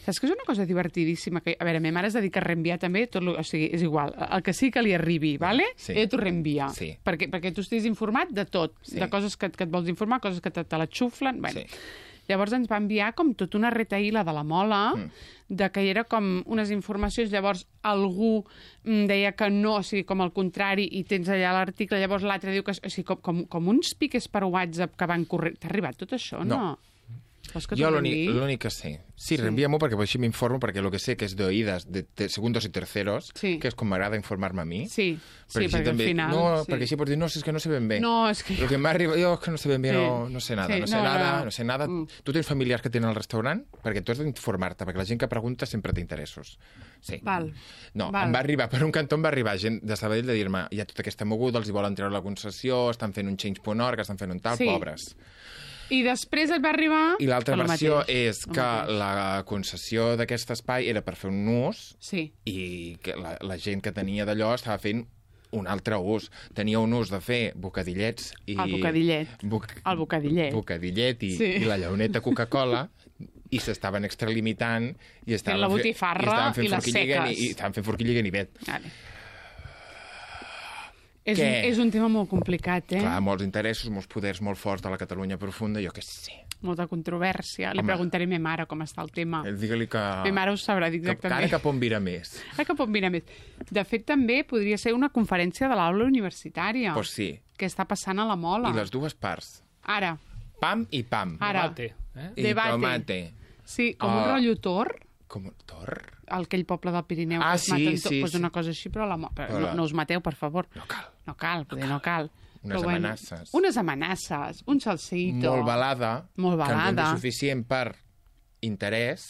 Saps que és una cosa divertidíssima? Que, a veure, ma mare es dedica a reenviar també, o sigui, és igual, el que sí que li arribi, vale? Sí. Ella t'ho reenvia. Sí. Perquè tu estiguis informat de tot, de coses que et vols informar, coses que te la xuflen... Bueno. Sí. Llavors ens va enviar com tota una retaïla de la Mola, de que era com unes informacions, llavors algú deia que no, o sigui, com al contrari, i tens allà l'article, llavors l'altre diu que... O sigui, com uns piques per WhatsApp que van correr... T'ha arribat tot això, no? Jo l'únic que sé. Sí, reenvia-m'ho perquè així m'informo, perquè el que sé que és d'oïdes de segundos i terceros, que és com m'agrada informar-me a mi. Sí, perquè al final... No, perquè així pots dir, no, és que no sé ben bé. No, és que... El que m'arriba, jo és que no sé ben bé, no sé nada, no sé nada. Tu tens familiars que tenen el restaurant? Perquè tu has d'informar-te, perquè la gent que pregunta sempre té interessos. Sí. Val. No, em va arribar, per un cantó em va arribar gent de Sabadell de dir-me, hi ha tota aquesta moguda, els hi volen treure la concessió, estan fent un change.org, estan fent un tal, pobres. I després et va arribar... I l'altra versió és que la concessió d'aquest espai era per fer un ús i que la gent que tenia d'allò estava fent un altre ús. Tenia un ús de fer bocadillets i... El bocadillet. El bocadillet. Bocadillet i la llauneta Coca-Cola i s'estaven extralimitant i estaven la botifarra i les seques. I estaven fent forquilla i ganivet. Vale. És un tema molt complicat, Clar, molts interessos, molts poders molt forts de la Catalunya profunda, jo què sé. Molta controvèrsia. Li preguntaré a ma mare com està el tema. Digue-li que... Ma mare ho sabrà dir exactament. Ara cap on vira més. Cap on vira més. De fet, també podria ser una conferència de l'aula universitària. Pues sí. Que està passant a la Mola. I les dues parts. Ara. Pam i pam. Ara. Debate. I tomate. Sí, com un rotllo Tor. Com un Tor? Aquell poble del Pirineu. Sí. Pues una cosa així, però no us mateu, per favor. No cal. No cal. Unes amenaces. Unes amenaces, un salseïto. Molt balada. Molt balada. Que en suficient per interès,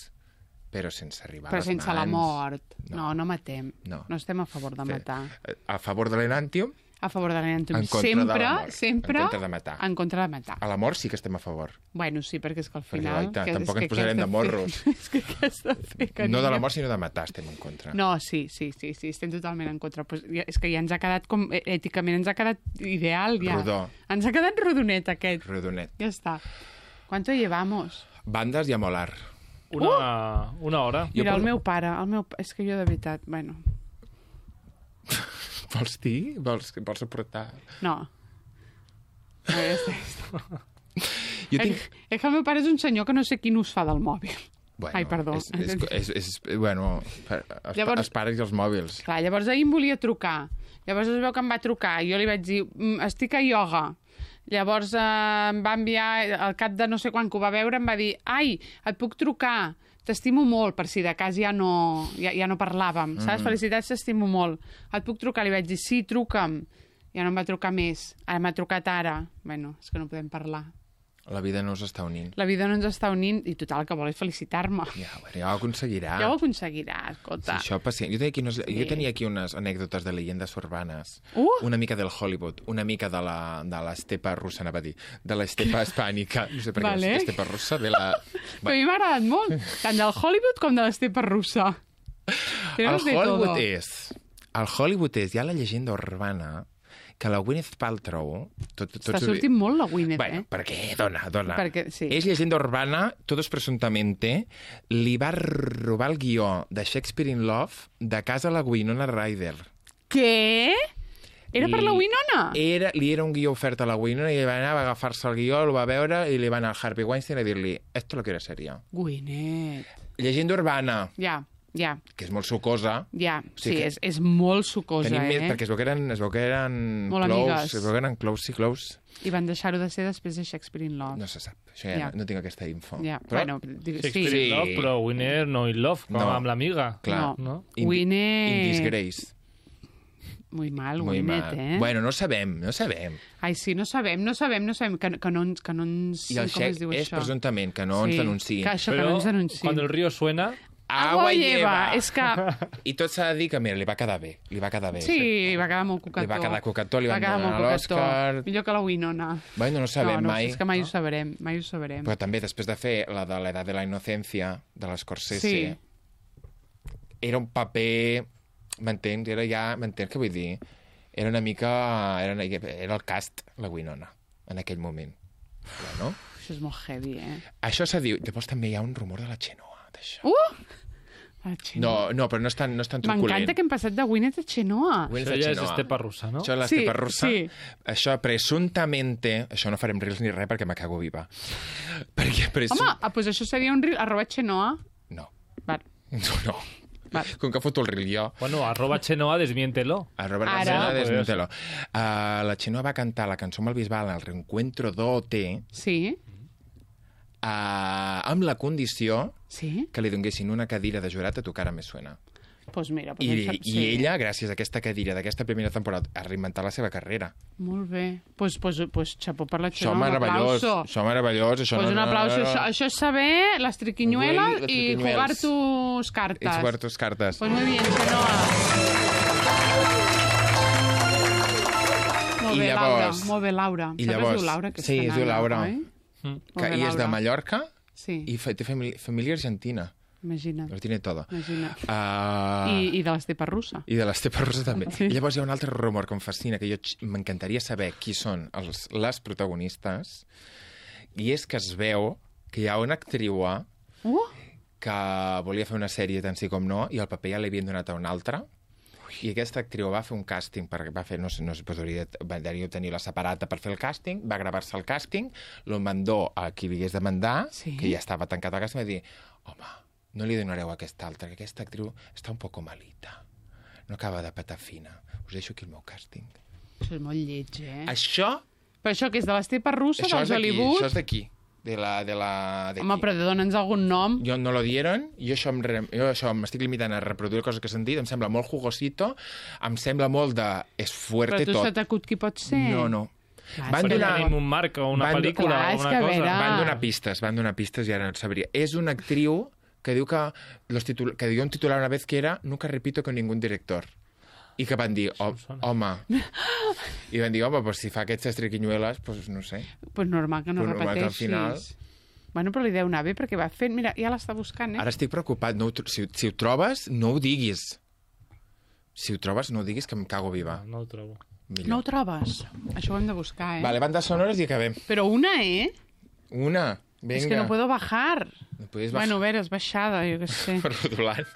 però sense arribar a les mans. Però sense la mort. No matem. No estem a favor de matar. A favor de l'enàntium. A favor de l'enàntium. Sempre en contra de matar. En contra de matar. A la mort sí que estem a favor. Bueno, sí, perquè és que al final... Tampoc ens posarem de morros. És que què has de fer, carinyo? No de la mort, sinó de matar estem en contra. No, sí, estem totalment en contra. Pues és que ja ens ha quedat, com èticament ens ha quedat ideal, ja. Rodó. Ens ha quedat rodonet, aquest. Rodonet. Ja està. ¿Cuánto llevamos? Bandes i a molar. Una hora. Mira, el meu pare, és que jo de veritat, bueno... Vols dir? Vols aportar? No. A veure, Jo tinc... És que el meu pare és un senyor que no sé quin ús fa del mòbil. Bueno, Ai, perdó. Bueno, els pares i els mòbils. Clar, llavors ahir em volia trucar. Llavors es veu que em va trucar i jo li vaig dir, estic a ioga. Llavors em va enviar, al cap de no sé quan que ho va veure, em va dir, ai, et puc trucar, t'estimo molt, per si de cas ja no parlàvem, saps? Felicitats, t'estimo molt. Et puc trucar? Li vaig dir, sí, truca'm. Ja no em va trucar més. Ara m'ha trucat ara. Bueno, és que no podem parlar. La vida no us està unint. La vida no ens està unint i total, que vol és felicitar-me. Ja ho aconseguirà. Ja ho aconseguirà, escolta. Sí, això pacient. Jo tenia aquí unes anècdotes de llegendes urbanes. Una mica del Hollywood, una mica de l'estepa russa, anava a dir, de l'estepa hispànica. No sé per què és estepa russa. Però a mi m'ha agradat molt, tant del Hollywood com de l'estepa russa. El Hollywood és ja la llegenda urbana que la Gwyneth Paltrow... Està sortint molt la Gwyneth, bueno, perquè, dona. Perquè, sí. És llegenda urbana, todos presumptamente, li va robar el guió de Shakespeare in Love de casa a la Winona Ryder. Què? Era per la Winona? Li era un guió ofert a la Winona i va anar a agafar-se el guió, el va veure i li va anar al Harvey Weinstein a dir-li esto lo quiero ser yo. Gwyneth. Llegenda urbana. Ja. Que és molt sucosa. Ja, sí, és molt sucosa, Perquè es veu que eren molt amigues. Es veu que eren close. I van deixar-ho de ser després de Shakespeare in Love. No se sap. Això ja no tinc aquesta info. Ja, però... Shakespeare in Love, però Winner no in Love, com amb l'amiga. Clar. No. Winner... In Disgrace. Muy mal, Gwyneth, Bueno, no sabem. Ai, sí, no sabem, que no ens... I el xec és presumptament que no ens denunciïn. Que no ens denunciïn. Quan el río suena... Agua lleva. És que... I tot s'ha de dir que, mira, li va quedar bé. Sí, li va quedar molt cucató. Li va quedar cucató, li van donar l'Òscar... Millor que la Winona. Bueno, no sabem mai. És que mai ho sabrem. Però també, després de fer la de l'edat de la inocència, de l'Scorsese, era un paper... M'entens? M'entens què vull dir? Era una mica... Era el cast, la Winona, en aquell moment. No? Això és molt heavy, Això s'ha dit... Llavors també hi ha un rumor de la Xenoa. No, però no és tan truculent. M'encanta que hem passat de Gwyneth a Xenoa. Això ja és estepa russa, no? Això és l'estepa russa. Això, presumptamente... Això no farem reels ni res perquè me cago viva. Home, doncs això seria un reel, @Xenoa. No. No. Com que foto el reel jo. Bueno, @Xenoa, desmiéntelo. @Xenoa, desmiéntelo. La Xenoa va cantar la cançó amb el Bisbal al reencuentro d'OT. Sí. Amb la condició que li donguessin una cadira de jurat a Tu cara me suena. Pues mira, I ella, gràcies a aquesta cadira d'aquesta primera temporada, ha reinventat la seva carrera. Molt bé. Pues xapó per la Xenoa. Això meravellós. Pues un aplauso. Això és saber les triquiñuelas i jugar tus cartes. I jugar tus cartes. Pues muy bien, Xenoa. Molt bé, Laura. I llavors, es diu Laura? Sí, es diu Laura. I és de Mallorca i té família argentina. Imagina't. Lo tiene todo. I de l'estepa russa. I de l'estepa russa també. I llavors hi ha un altre rumor que em fascina, que m'encantaria saber qui són les protagonistes, i és que es veu que hi ha una actriu que volia fer una sèrie tant sí com no, i el paper ja l'havien donat a una altra. I aquesta actriu va fer un càsting, va fer, no sé, podria tenir la separata per fer el càsting, va gravar-se el càsting, lo mandó a qui li hagués de mandar, que ja estava tancat al càsting, i va dir, home, no li donareu a aquesta altra, que aquesta actriu està un poco malita, no acaba de patar fina, us deixo aquí el meu càsting. Això és molt lleig, Això... Però això que és de l'estepa russa, del Hollywood? Això és d'aquí. Home, però dona'ns algun nom. Jo no lo dieron, jo això m'estic limitant a reproduir coses que he sentit, em sembla molt jugosito, em sembla molt de... És fuerte tot. Però tu s'ha t'acut qui pot ser? No. Van donar un marc o una pel·lícula o una cosa. Van donar pistes i ara no sabria. És una actriu que diu que dio un titular una vez que era Nunca repito con ningún director. I que van dir, home... I van dir, home, pues si fa aquestes triquiñueles, pues no sé. Pues normal que no repeteixis. Que al final... Bueno, però li deu anar bé perquè va fent... Mira, ja l'està buscant, Ara estic preocupat. Si ho trobes, no ho diguis. Si ho trobes, no ho diguis, que em cago viva. No ho trobo. Millor. No ho trobes? Això ho hem de buscar, Vale, bandes sonores i acabem. Però una, Una, venga. És que no puedo bajar. No puedes bajar. Bueno, a veure, és baixada, jo què sé. Per rodolant.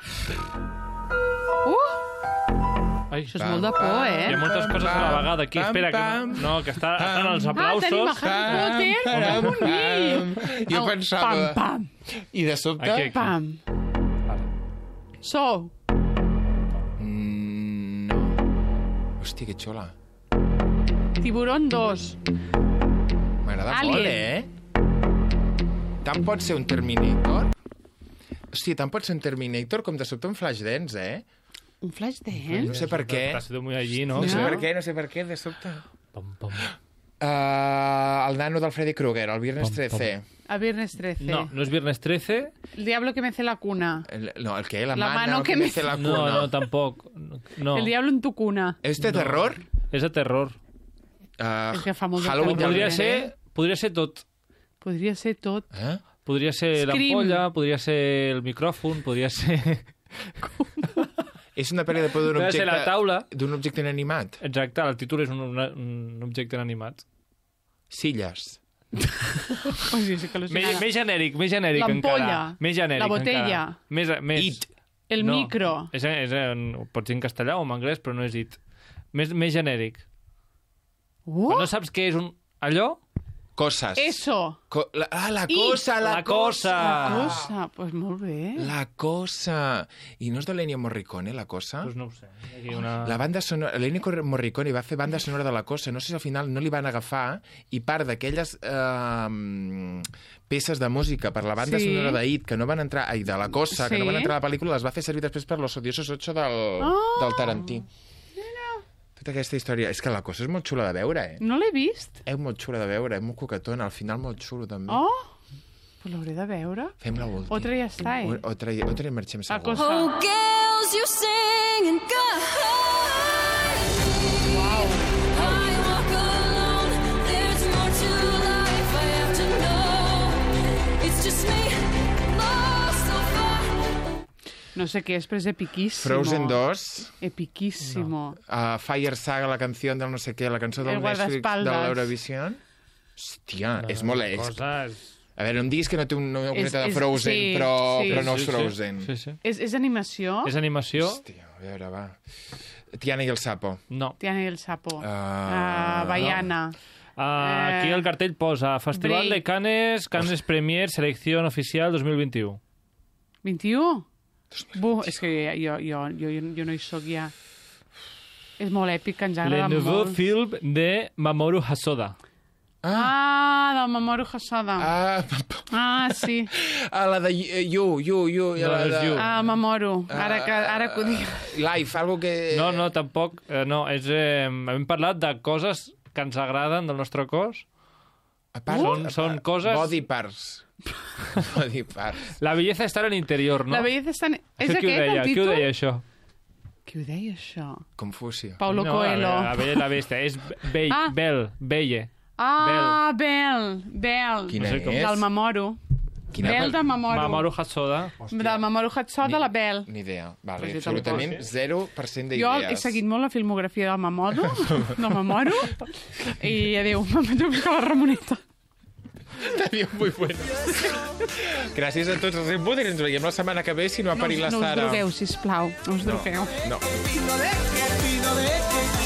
Ai, això és molt de por, Hi ha moltes coses a la vegada aquí. Espera, que estan els aplausos. Tenim a Harry Potter com un nill. Jo pensava... Pam, I de sobte... Aquí. pam. Sou. No. Hòstia, que xula. Tiburón 2. M'agrada Alien. molt, Tant pot ser un Terminator... Hòstia, tant pot ser un Terminator com de sobte un Flashdance, Un flash dance? No sé per què. T'ha sido muy allí, ¿no? No sé per què, de sobte. Pam, pam. El nano del Freddy Krueger, el Viernes 13. A Viernes 13. No, no es Viernes 13. El diablo que mece la cuna. No, el que? La mano que me mece la No, cuna. no, tampoc. No. El diablo en tu cuna. ¿Es de terror? És de terror. És que fa molt de Halloween terror. Podria ser tot. Podria ser tot. Podria ser Scream. l'ampolla, podria ser el micròfon, podria ser... És una pel·li de por d'un Podria ser la taula. D'un objecte inanimat. Exacte, el títol és un objecte inanimat. Silles. Ui, sí que al·lucinada. Més genèric encara. L'ampolla. Més genèric La botella. encara. Més. It. El No, micro. Pot ser en castellà o en anglès, però no és it. Més genèric. Oh, No saps què és allò? Coses. eso. La cosa, la cosa. Cosa. Pues molt bé. La cosa. I no és de l'Ennio Morricone, la cosa? Doncs no ho sé. Aquí una... La banda sonora... L'Ennio Morricone va fer banda sonora de la cosa. No sé si al final no li van agafar i part d'aquelles peces de música per la banda sonora d'It que no van entrar... Ai, de la cosa, que no van entrar a la pel·lícula, les va fer servir després per Los Odiosos 8 del Tarantí. Tota aquesta història... És que la cosa és molt xula de veure, No l'he vist. És molt xula de veure, és molt coquetona, al final molt xulo, també. Oh, pues l'hauré de veure. Fem la última. Otra ja està, Otra i marxem La segur. cosa. Oh, girls, you sing and go. Wow. I walk alone. There's more to life I have to know. It's just me, lost so far. No sé què és, però és epiquíssimo. Frozen 2, Epiquíssimo. Fire Saga, la canció del no sé què, la cançó del El Netflix de guardaespaldas. l'Eurovision. Hòstia, és molt ex. Coses... A veure, em diguis que no té una coseta de és- Frozen, sí, però sí. no és Sí, sí. Frozen. Sí. És animació? És animació? Hòstia, a veure, va. Tiana i el sapo. No. Tiana i el sapo. Ah, Baiana. Aquí el cartell posa Festival Break. de Cannes Premier, selección oficial 2021. 21? És que jo no hi soc ja. És molt èpic, que ens Le agrada nouveau molt. film de Mamoru Hosoda. Del Mamoru Hosoda. Sí. la de You. No, la és de... You. Mamoru. Ara que ho dic. Life, algo que... No, tampoc. No, hem parlat de coses que ens agraden del nostre cos. A part, Són coses... Body parts. Body parts. La belleza està en l'interior, no? La belleza està... És Això aquest el Qui títol? ho deia, això? Qui ho deia, això? Confucio. Paulo No, Coelho. La Bella i la Bèstia. És Belle. Bel. Quina No sé com- és? Del Mamoru. Bel de Mamoru. Mamoru Hosoda. Del Mamoru Hosoda, la Bel. Ni idea. Vale, Pues jo absolutament tampoc. 0% Jo d'idees. he seguit molt la filmografia del Mamoru, i adéu, m'he de buscar la Ramoneta. Tenia muy bueno. Gràcies a tots els inputs i ens veiem la setmana que ve si no ha parit la No us Sara. drogueu, sisplau, no us drogueu. No. Opino de que